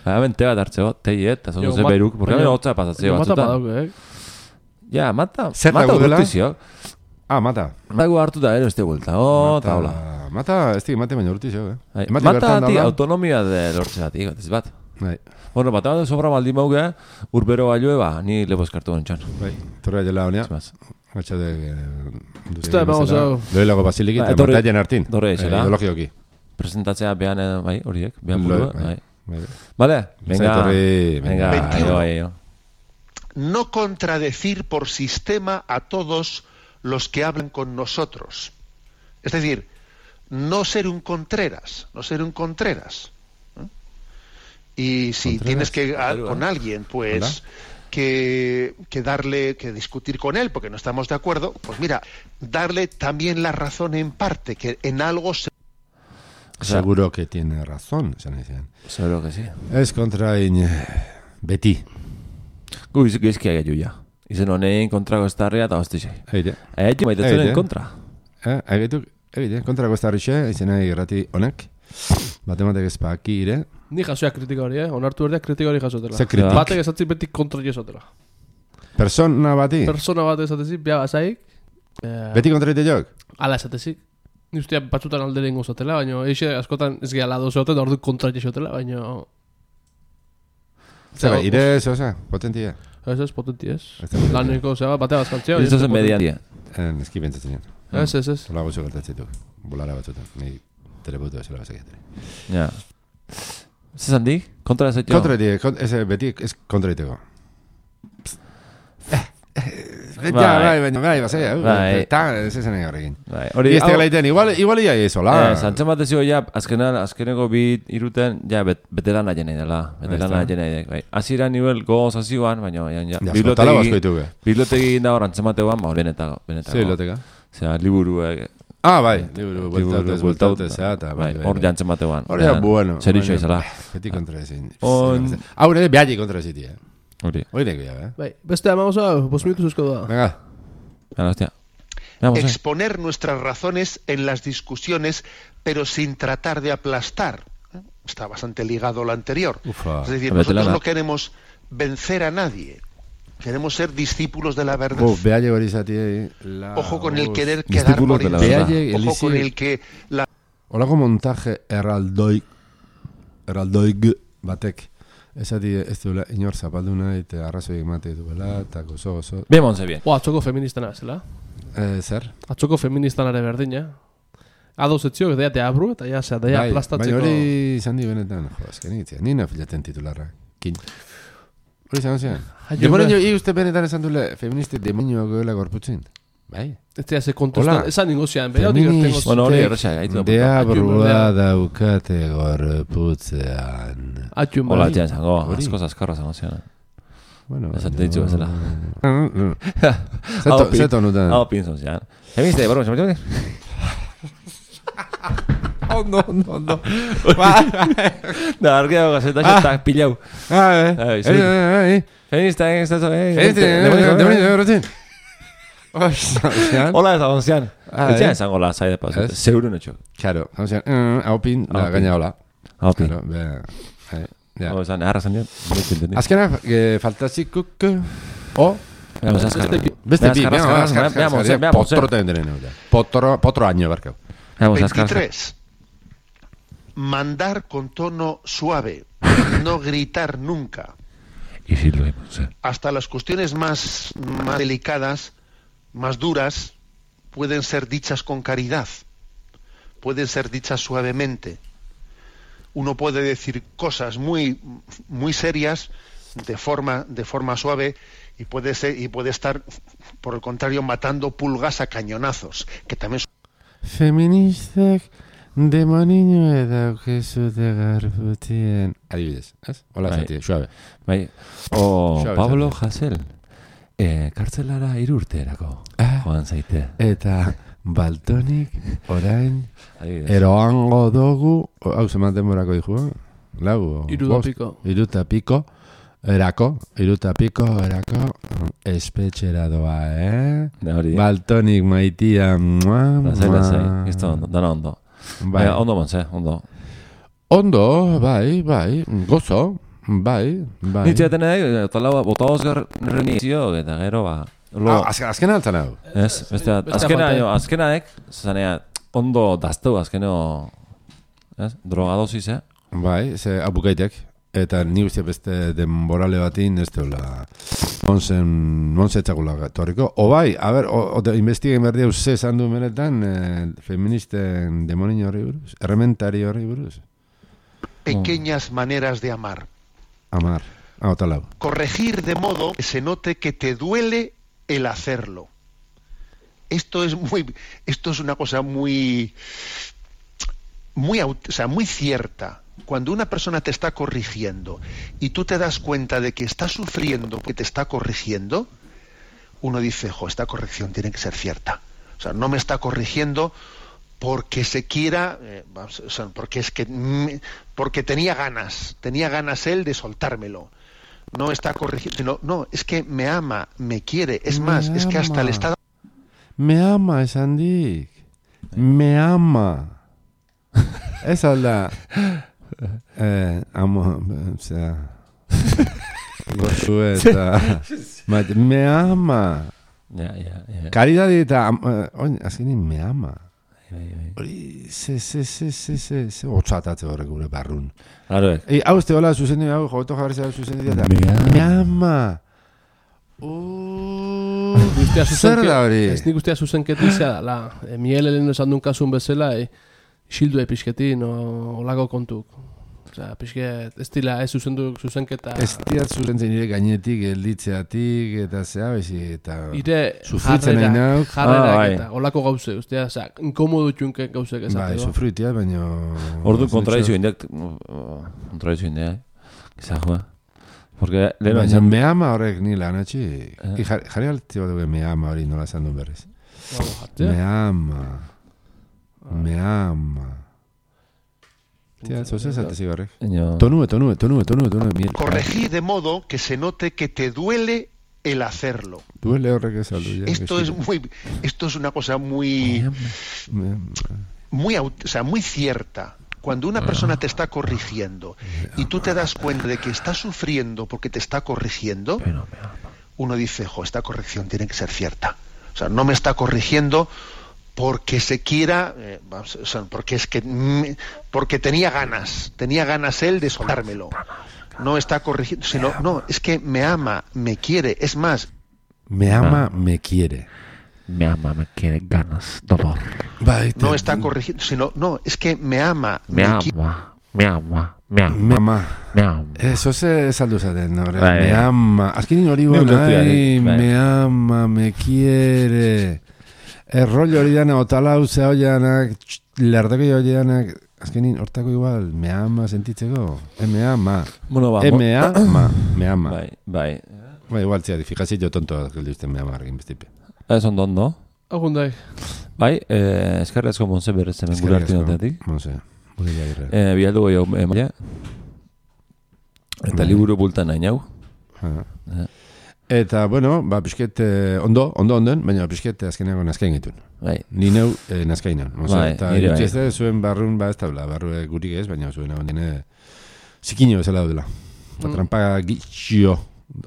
[SPEAKER 1] Hemen te bat hartzeo, teiet, eta zondu ze beruk, porque hemen hotza pasatzeo batzuta.
[SPEAKER 3] Mata badauke, eh?
[SPEAKER 1] Ja, mata,
[SPEAKER 2] zer
[SPEAKER 1] mata
[SPEAKER 2] dela?
[SPEAKER 1] urtizio.
[SPEAKER 2] Ah, mata.
[SPEAKER 1] Mago hartu da, ero, ez gulta, oh, taula.
[SPEAKER 2] Mata, ez dik, mate baina urtizio, eh?
[SPEAKER 1] Mata ati, autonomia de lortze bat, ez bat.
[SPEAKER 2] Bai.
[SPEAKER 1] Bueno, bat bat sobra baldin mauge, urbero balioe, ba, ni lebo eskartu gantxan.
[SPEAKER 2] Bai, torre jela honea. Gatsa de...
[SPEAKER 3] Uste, vamos a...
[SPEAKER 2] Loilago basilik eta Martaien hartin.
[SPEAKER 1] Dorre etxela.
[SPEAKER 2] Ideologioki.
[SPEAKER 1] Presentatzea behan, bai, horiek, behan burua, bai.
[SPEAKER 2] Bai.
[SPEAKER 1] Vale, venga, venga,
[SPEAKER 4] veintiuno.
[SPEAKER 1] ayo, ayo.
[SPEAKER 4] No contradecir por sistema a todos los que hablan con nosotros. Es decir, no ser un Contreras, no ser un Contreras. ¿Eh? Y si
[SPEAKER 2] Contreras,
[SPEAKER 4] tienes que a,
[SPEAKER 1] claro,
[SPEAKER 4] con
[SPEAKER 1] ¿eh?
[SPEAKER 4] alguien, pues que, que darle, que discutir con él, porque no estamos de acuerdo, pues mira, darle también la razón en parte, que en algo se...
[SPEAKER 1] O sea,
[SPEAKER 2] seguro que tiene razón, esan izan.
[SPEAKER 1] Seguro que sí.
[SPEAKER 2] Ez kontra in... Beti.
[SPEAKER 1] Gu izkia gehiu ja. Izen honein kontrago estarria eta hostizei.
[SPEAKER 2] Eite.
[SPEAKER 1] Eite maitetzen
[SPEAKER 2] Eite.
[SPEAKER 1] kontra.
[SPEAKER 2] Eh, egitu, egite, kontrako estarrixe, izena irrati honek. Batematek ezpaki ire.
[SPEAKER 3] Ni jasoia kritika hori, eh? Onartu berdeak kritika hori jasotela.
[SPEAKER 2] Ze kritik?
[SPEAKER 3] Batek esatzi beti kontra jesotela.
[SPEAKER 2] Persona bati?
[SPEAKER 3] Persona bat esatezik, bia bazaik. Eh,
[SPEAKER 2] Beti kontra ite jok?
[SPEAKER 3] Ala esatezik. Ni ustea batzutan aldere ingo zotela, baina eixe askotan ez gehala dozeote, da ordu kontra jesotela, baina...
[SPEAKER 2] Zer, ire zoza, potentia.
[SPEAKER 3] Ez ez, potenti ez. Laneko, zeba, batea bazkantzea.
[SPEAKER 1] Ez zen median dia.
[SPEAKER 2] Eski bentzatzen jan.
[SPEAKER 3] Ez, ez, ez.
[SPEAKER 2] Hola gozo gertatzetuk. Bulara batzutan. Ni teleputu ezela bazakiateri.
[SPEAKER 1] Ja. Zezan di? Kontra ez etxo?
[SPEAKER 2] Kontra ite, ez beti ez kontra iteko. Ja, bai, baina, bai, bazaia.
[SPEAKER 1] Bai.
[SPEAKER 2] Eta, ez esan egin horrekin.
[SPEAKER 1] Bai,
[SPEAKER 2] Hori
[SPEAKER 1] hori...
[SPEAKER 2] ez tegala iten, igual, igual ia ezola.
[SPEAKER 1] Eh, zantzen bat ezio, ja, azkenan, azkeneko bi iruten, ja, bet, betelana jenei dela. Betelana jenei dek, bai. Azira nivel goz azioan, baina, ja, ja.
[SPEAKER 2] Ja, flotala basko ditugu.
[SPEAKER 1] Bibliotegi inda hor antzemateoan, ba, benetako.
[SPEAKER 2] Zer biblioteka?
[SPEAKER 1] Osea, liburuek...
[SPEAKER 2] Ah, bai, liburu, bueltatez, bueltatez, eta,
[SPEAKER 1] bai, hor jantzen batean.
[SPEAKER 2] Hor ja, bueno.
[SPEAKER 1] Zerixo izala.
[SPEAKER 2] Beti kontra ezin.
[SPEAKER 1] On...
[SPEAKER 2] Hau nire behagi kontra eziti, eh?
[SPEAKER 1] Hori.
[SPEAKER 2] Hori neko ya, eh?
[SPEAKER 3] Bai, beste amagoza, bos minutu zuzko da.
[SPEAKER 2] Venga.
[SPEAKER 1] Venga, hostia. Vamos,
[SPEAKER 4] exponer nuestras razones en las discusiones, pero sin tratar de aplastar. ¿Eh? Está bastante ligado a lo anterior.
[SPEAKER 2] Ufa.
[SPEAKER 4] Es decir,
[SPEAKER 1] A
[SPEAKER 4] nosotros
[SPEAKER 1] vetelana.
[SPEAKER 4] no queremos vencer a nadie. Queremos ser discípulos de la verdad.
[SPEAKER 2] Uf, behagi hori zati, la...
[SPEAKER 4] Ojo con el querer
[SPEAKER 1] Discípulos
[SPEAKER 4] quedar por
[SPEAKER 1] de la
[SPEAKER 4] encima.
[SPEAKER 1] verdad.
[SPEAKER 2] Behagi,
[SPEAKER 4] Ojo
[SPEAKER 2] elizi-
[SPEAKER 4] con el que la
[SPEAKER 2] Olako montaje erraldoik, erraldoik batek. Esati ez duela inor zapalduna eta arrazoi emate duela, eta gozo, gozo.
[SPEAKER 1] bien, Monse, bien.
[SPEAKER 3] Bo, atzoko feministana zela.
[SPEAKER 2] Eh, zer?
[SPEAKER 3] Atzoko feministanare berdina. Adoz etziok, daia teabru, eta ja, zera, daia
[SPEAKER 2] Bai,
[SPEAKER 3] aplastatzeko...
[SPEAKER 2] baina hori izan di benetan, jo, azken egitzea. Nina filaten titularra. Kin. Hori izan zean.
[SPEAKER 3] Ai,
[SPEAKER 2] Demoren
[SPEAKER 3] jo,
[SPEAKER 2] jo, i uste benetan esan dule, feministi demonioa goela gorputzin. Bai.
[SPEAKER 3] Ez dira ze kontestan,
[SPEAKER 2] Hola.
[SPEAKER 3] esan ningo zian, beha hori
[SPEAKER 2] Feminist-
[SPEAKER 3] gertengo
[SPEAKER 1] Bueno, hori erresa, gaitu.
[SPEAKER 2] Deabrua daukate gorputzean.
[SPEAKER 3] atxun
[SPEAKER 1] Hola,
[SPEAKER 3] bai.
[SPEAKER 1] txan, zango,
[SPEAKER 2] Hori.
[SPEAKER 1] asko zaskarra zango zian.
[SPEAKER 2] Bueno,
[SPEAKER 1] Ez ate ditzu bezala.
[SPEAKER 2] Zeto, zeto nutan.
[SPEAKER 1] Hau pinzon zian. Femiste, barro, zematu?
[SPEAKER 2] Ondo, ondo, ondo.
[SPEAKER 1] Da, argeo gazeta, xetak pilau.
[SPEAKER 2] Ah, eh.
[SPEAKER 1] Ai,
[SPEAKER 2] Eh,
[SPEAKER 1] sí.
[SPEAKER 2] eh, eh.
[SPEAKER 1] Feminista, eh, ez da zo, eh.
[SPEAKER 2] Este, demonio gorputzin.
[SPEAKER 1] Hola, ez agon zian.
[SPEAKER 2] Ah,
[SPEAKER 1] Etxean
[SPEAKER 2] eh.
[SPEAKER 1] esango la, zaide pasu.
[SPEAKER 2] Ez.
[SPEAKER 1] Zeurun etxo.
[SPEAKER 2] Claro, hau zean, eh, hau pin, da,
[SPEAKER 1] Hau pin.
[SPEAKER 2] gaina hola.
[SPEAKER 1] Hau pin.
[SPEAKER 2] Claro, bea, eh, ja.
[SPEAKER 1] Hau esan, eharra zan dian.
[SPEAKER 2] Azkena, eh, faltazikuk, o,
[SPEAKER 1] Vamos, azkar.
[SPEAKER 2] beste bi,
[SPEAKER 1] Azkar,
[SPEAKER 2] venga,
[SPEAKER 1] azkar,
[SPEAKER 2] azkar,
[SPEAKER 1] azkar,
[SPEAKER 2] azkar,
[SPEAKER 1] azkar,
[SPEAKER 2] azkar,
[SPEAKER 1] veamos,
[SPEAKER 2] potro ten denen, potro, potro año, barkau.
[SPEAKER 1] Vamos, azkar.
[SPEAKER 4] veintitrés. mandar con tono suave, no gritar nunca.
[SPEAKER 1] Y sí lo hemos, ¿eh?
[SPEAKER 4] Hasta las cuestiones más, más delicadas, más duras, pueden ser dichas con caridad, pueden ser dichas suavemente. Uno puede decir cosas muy, muy serias de forma, de forma suave y puede ser, y puede estar, por el contrario, matando pulgas a cañonazos, que también son...
[SPEAKER 2] Feministak demoniño edaukezu de garbutien. Adibidez, ez? Hola,
[SPEAKER 1] Bai.
[SPEAKER 2] zati, suave.
[SPEAKER 1] Bai, o
[SPEAKER 2] Suave,
[SPEAKER 1] Pablo
[SPEAKER 2] suave.
[SPEAKER 1] Hasél, eh, kartzelara irurterako
[SPEAKER 2] Ah.
[SPEAKER 1] joan zaite.
[SPEAKER 2] Eta baltonik orain
[SPEAKER 1] Adibidez.
[SPEAKER 2] eroango dugu, hau zeman denborako dijo, lau,
[SPEAKER 3] Hiru eta
[SPEAKER 2] bost,
[SPEAKER 3] piko.
[SPEAKER 2] hiru eta piko, erako, hiru eta piko, erako, espetxera doa, eh?
[SPEAKER 1] Da hori,
[SPEAKER 2] Baltonik maitia, mua,
[SPEAKER 1] lasai, lasai,
[SPEAKER 2] mua.
[SPEAKER 1] esto ondo, dana ondo.
[SPEAKER 2] Bai.
[SPEAKER 1] Bai, ondo montze, ondo.
[SPEAKER 2] Ondo, bai, bai, gozo, bai, bai.
[SPEAKER 1] Nitxe nahi, eta lau, bota osgar renizio, eta gero, ba, lo,
[SPEAKER 2] Ah, azken, azken altzan hau.
[SPEAKER 1] ez, beste,
[SPEAKER 3] beste
[SPEAKER 1] azkena,
[SPEAKER 3] aparte.
[SPEAKER 1] jo, azkenaek, zanea, ondo dazteu, azkeno, ez, drogadosis, eh?
[SPEAKER 2] Bai, ze abukaitek. Eta ni uste beste denborale batin ez deula monsen, monsetzakula torriko. O bai, a ber, o, o investiguen berdi hau ze esan du menetan eh, feministen demonio horri buruz, errementari horri buruz.
[SPEAKER 4] pequeñas maneras de amar.
[SPEAKER 2] Amar, hau talau.
[SPEAKER 4] Corregir de modo que se note que te duele el hacerlo. Esto es muy, esto es una cosa muy, muy, aut- o sea, muy cierta. Cuando una persona te está corrigiendo y tú te das cuenta de que está sufriendo porque te está corrigiendo, uno dice, jo, esta corrección tiene que ser cierta. O sea, no me está corrigiendo porque se quiera, eh, vamos, o sea, porque es que, mm, porque tenía ganas, tenía ganas él de soltármelo. No está corrigiendo, sino, no, es que me ama, me quiere. Es
[SPEAKER 2] Me
[SPEAKER 4] más, es que hasta
[SPEAKER 2] ama.
[SPEAKER 4] le está
[SPEAKER 2] Me ama esan dik. Me ama. Ez alda. Eh, amo, osea. Gozu eta... Mat, me ama.
[SPEAKER 1] Ja, ja, ja.
[SPEAKER 2] Karidadi eta... am- eh, Oin, azkenin me ama.
[SPEAKER 1] Bai, bai.
[SPEAKER 2] Hori, ze, ze, ze, ze, ze, ze, otxatatze horrek gure barrun.
[SPEAKER 1] Claro,
[SPEAKER 2] Ei, hau este hola, zuzen dira, hau, joto jarri zara zuzen dira.
[SPEAKER 1] Me ama.
[SPEAKER 2] Me ama. Uh,
[SPEAKER 3] Guztia
[SPEAKER 2] zer
[SPEAKER 3] zuzenke-
[SPEAKER 2] da hori?
[SPEAKER 3] Ez nik guztia zuzenketizia dala. E, Miguel Eleno esan duen kasun bezala, e, xildu epizketin, o, olako kontuk. Osea, pixket, ez dila, ez zuzendu zuzenketa.
[SPEAKER 2] Ez diat zuzentzen nire gainetik, gelditzeatik, eta zea, bezi, eta...
[SPEAKER 3] Ire
[SPEAKER 2] Sufritzen
[SPEAKER 3] jarrera,
[SPEAKER 2] nahi nauk.
[SPEAKER 3] jarrerak
[SPEAKER 1] Ah, bai.
[SPEAKER 3] eta olako gauze, ustea, osea, inkomodu txunke gauzek
[SPEAKER 2] Bai,
[SPEAKER 3] esateko.
[SPEAKER 2] sufritia, baina...
[SPEAKER 1] ordu kontradizio indak, kontradizio indak, gizajua. Porque, leheno,
[SPEAKER 2] Baina
[SPEAKER 1] esan,
[SPEAKER 2] me ama horrek ni lan atxi.
[SPEAKER 1] Eh.
[SPEAKER 2] Jarri, jarri alti bat dugu me ama hori nola esan duen berriz.
[SPEAKER 3] Vamos, jartzea.
[SPEAKER 2] Me ama. Me ama. Tia, zoze esate zigarrek.
[SPEAKER 1] ino,
[SPEAKER 2] Tonue, tonue, tonue, tonue, tonue. Miel.
[SPEAKER 4] corregir de modo que se note que te duele el hacerlo.
[SPEAKER 2] Duele horrek ez aldu. Ja,
[SPEAKER 4] Esto es muy, esto es una cosa muy,
[SPEAKER 2] Me ama.
[SPEAKER 4] muy, aut- o sea, muy cierta. Cuando una persona te está corrigiendo y tú te das cuenta de que está sufriendo porque te está corrigiendo,
[SPEAKER 1] pero me ama.
[SPEAKER 4] uno dice, jo, esta corrección tiene que ser cierta. O sea, no me está corrigiendo porque se quiera, eh, vamos, o sea, porque es que, mm, porque tenía ganas, tenía ganas él de soltármelo. No está corrigiendo, sino, no, es que me ama, me quiere. Es más,
[SPEAKER 2] Me ama, me quiere.
[SPEAKER 1] Me ama, me quiere ganas, dolor.
[SPEAKER 2] Bai,
[SPEAKER 4] no está corrigiendo, sino, no, es que me ama,
[SPEAKER 1] Me
[SPEAKER 4] quiere.
[SPEAKER 1] ama, me ama, me ama,
[SPEAKER 2] Me ama.
[SPEAKER 1] me ama.
[SPEAKER 2] Eso se saldu zaten, horre.
[SPEAKER 1] Bai,
[SPEAKER 2] Me
[SPEAKER 1] bai.
[SPEAKER 2] ama. Azkenin hori
[SPEAKER 1] Neu
[SPEAKER 2] bon,
[SPEAKER 1] lotu da,
[SPEAKER 2] ai,
[SPEAKER 1] bai.
[SPEAKER 2] me ama, me quiere. Errollo hori dana, otala uzea hoianak, lerdeko hoianak, azkenin hortako igual, me ama sentitzeko. E me ama.
[SPEAKER 1] Bueno, ba,
[SPEAKER 2] E me ama, me ama.
[SPEAKER 1] bai, bai.
[SPEAKER 2] Ba, igual, txea, fijazio tonto, geldi uste me ama argin bestipe.
[SPEAKER 1] Ez ondo ondo.
[SPEAKER 3] Agundai.
[SPEAKER 1] Bai, eh, eskerri asko Montse berez hemen gure artinotetik.
[SPEAKER 2] No sé, gure jairre.
[SPEAKER 1] Eh, bialdu goi hau emaia. Eta
[SPEAKER 2] Bai.
[SPEAKER 1] liburu bultan nahi nau.
[SPEAKER 2] Ah.
[SPEAKER 1] Eh.
[SPEAKER 2] Eta, bueno, ba, pixket, eh, ondo, ondo onden, baina pixket azkeneako nazkain gitun.
[SPEAKER 1] Bai,
[SPEAKER 2] Ni neu eh, nazkainan.
[SPEAKER 1] Bai,
[SPEAKER 2] eta
[SPEAKER 1] nire bai.
[SPEAKER 2] itxezte zuen barrun, ba, ez taula, barru gurik ez, baina zuen hau dine zikino bezala daudela. Eta
[SPEAKER 3] Mm.
[SPEAKER 2] trampa gitxio,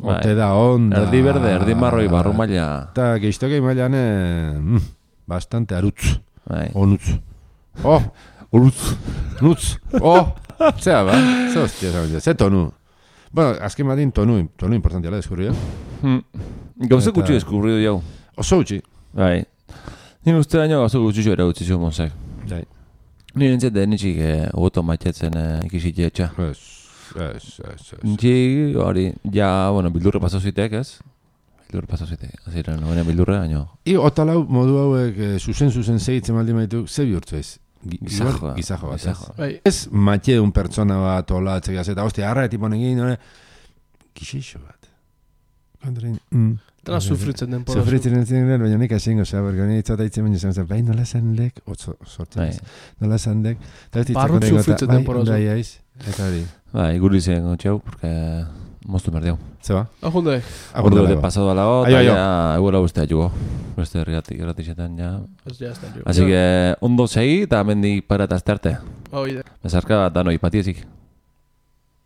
[SPEAKER 1] Bai.
[SPEAKER 2] ote da onda.
[SPEAKER 1] erdi berde, erdi marroi, barru maila.
[SPEAKER 2] Eta geiztoke mailan, eh, mm, bastante arutz,
[SPEAKER 1] Bai.
[SPEAKER 2] onutz. Oh,
[SPEAKER 1] Uruz.
[SPEAKER 2] Nutz. Oh, zea ba. Ze hostia, ze, ze tonu. Bueno, azken badin tonu, tonu importantia la deskurri,
[SPEAKER 1] Hmm. Gauze gutxi deskurri du jau.
[SPEAKER 2] Oso gutxi.
[SPEAKER 1] Bai. Ni uste daño gauze gutxi era gutxi zu monzek.
[SPEAKER 2] Bai.
[SPEAKER 1] Ni nintzen denitxik oto maitetzen ikisitxe etxa.
[SPEAKER 2] Ez, ez, ez, ez.
[SPEAKER 1] Nintxik, hori, ja, bueno, bildurre paso zitek, ez? Bildurre paso zitek. Aziren, no bildurre, baino.
[SPEAKER 2] I otalau modu hauek eh, zuzen zuzen segitzen maldi maitu, ze bihurtzu ez?
[SPEAKER 1] Gizajoa.
[SPEAKER 2] Gizajo bat,
[SPEAKER 1] Gizajoa.
[SPEAKER 3] Bai.
[SPEAKER 2] ez? Ez matxe un pertsona bat, ola, atzegaz, eta hostia, arra etipo negin, nore, gixixo bat. Kondrin, mm.
[SPEAKER 3] Dela sufritzen den pora.
[SPEAKER 2] Sufritzen den ziren, baina nik asingo, zera, bergo nire itzataitzen baina zen, bai, nola zen lek, otzo, sortzen, nola zen lek, eta ez
[SPEAKER 3] Barrut sufritzen den pora.
[SPEAKER 2] Bai, aiz, eta hori.
[SPEAKER 1] Bai, guri zen gotxeu, porque moztu merdeu.
[SPEAKER 2] Zeba?
[SPEAKER 3] Ahunde.
[SPEAKER 1] Ordu de pasado a la hora,
[SPEAKER 2] Aio, aio.
[SPEAKER 1] ya, eguela guztia jugo. Beste herriatik, erratixetan, ja.
[SPEAKER 3] Ez ja, ez da jo.
[SPEAKER 1] Así que, ondo segi, eta mendik para eta azte arte.
[SPEAKER 3] Hau ide.
[SPEAKER 1] Bezarka, danoi, patiezik.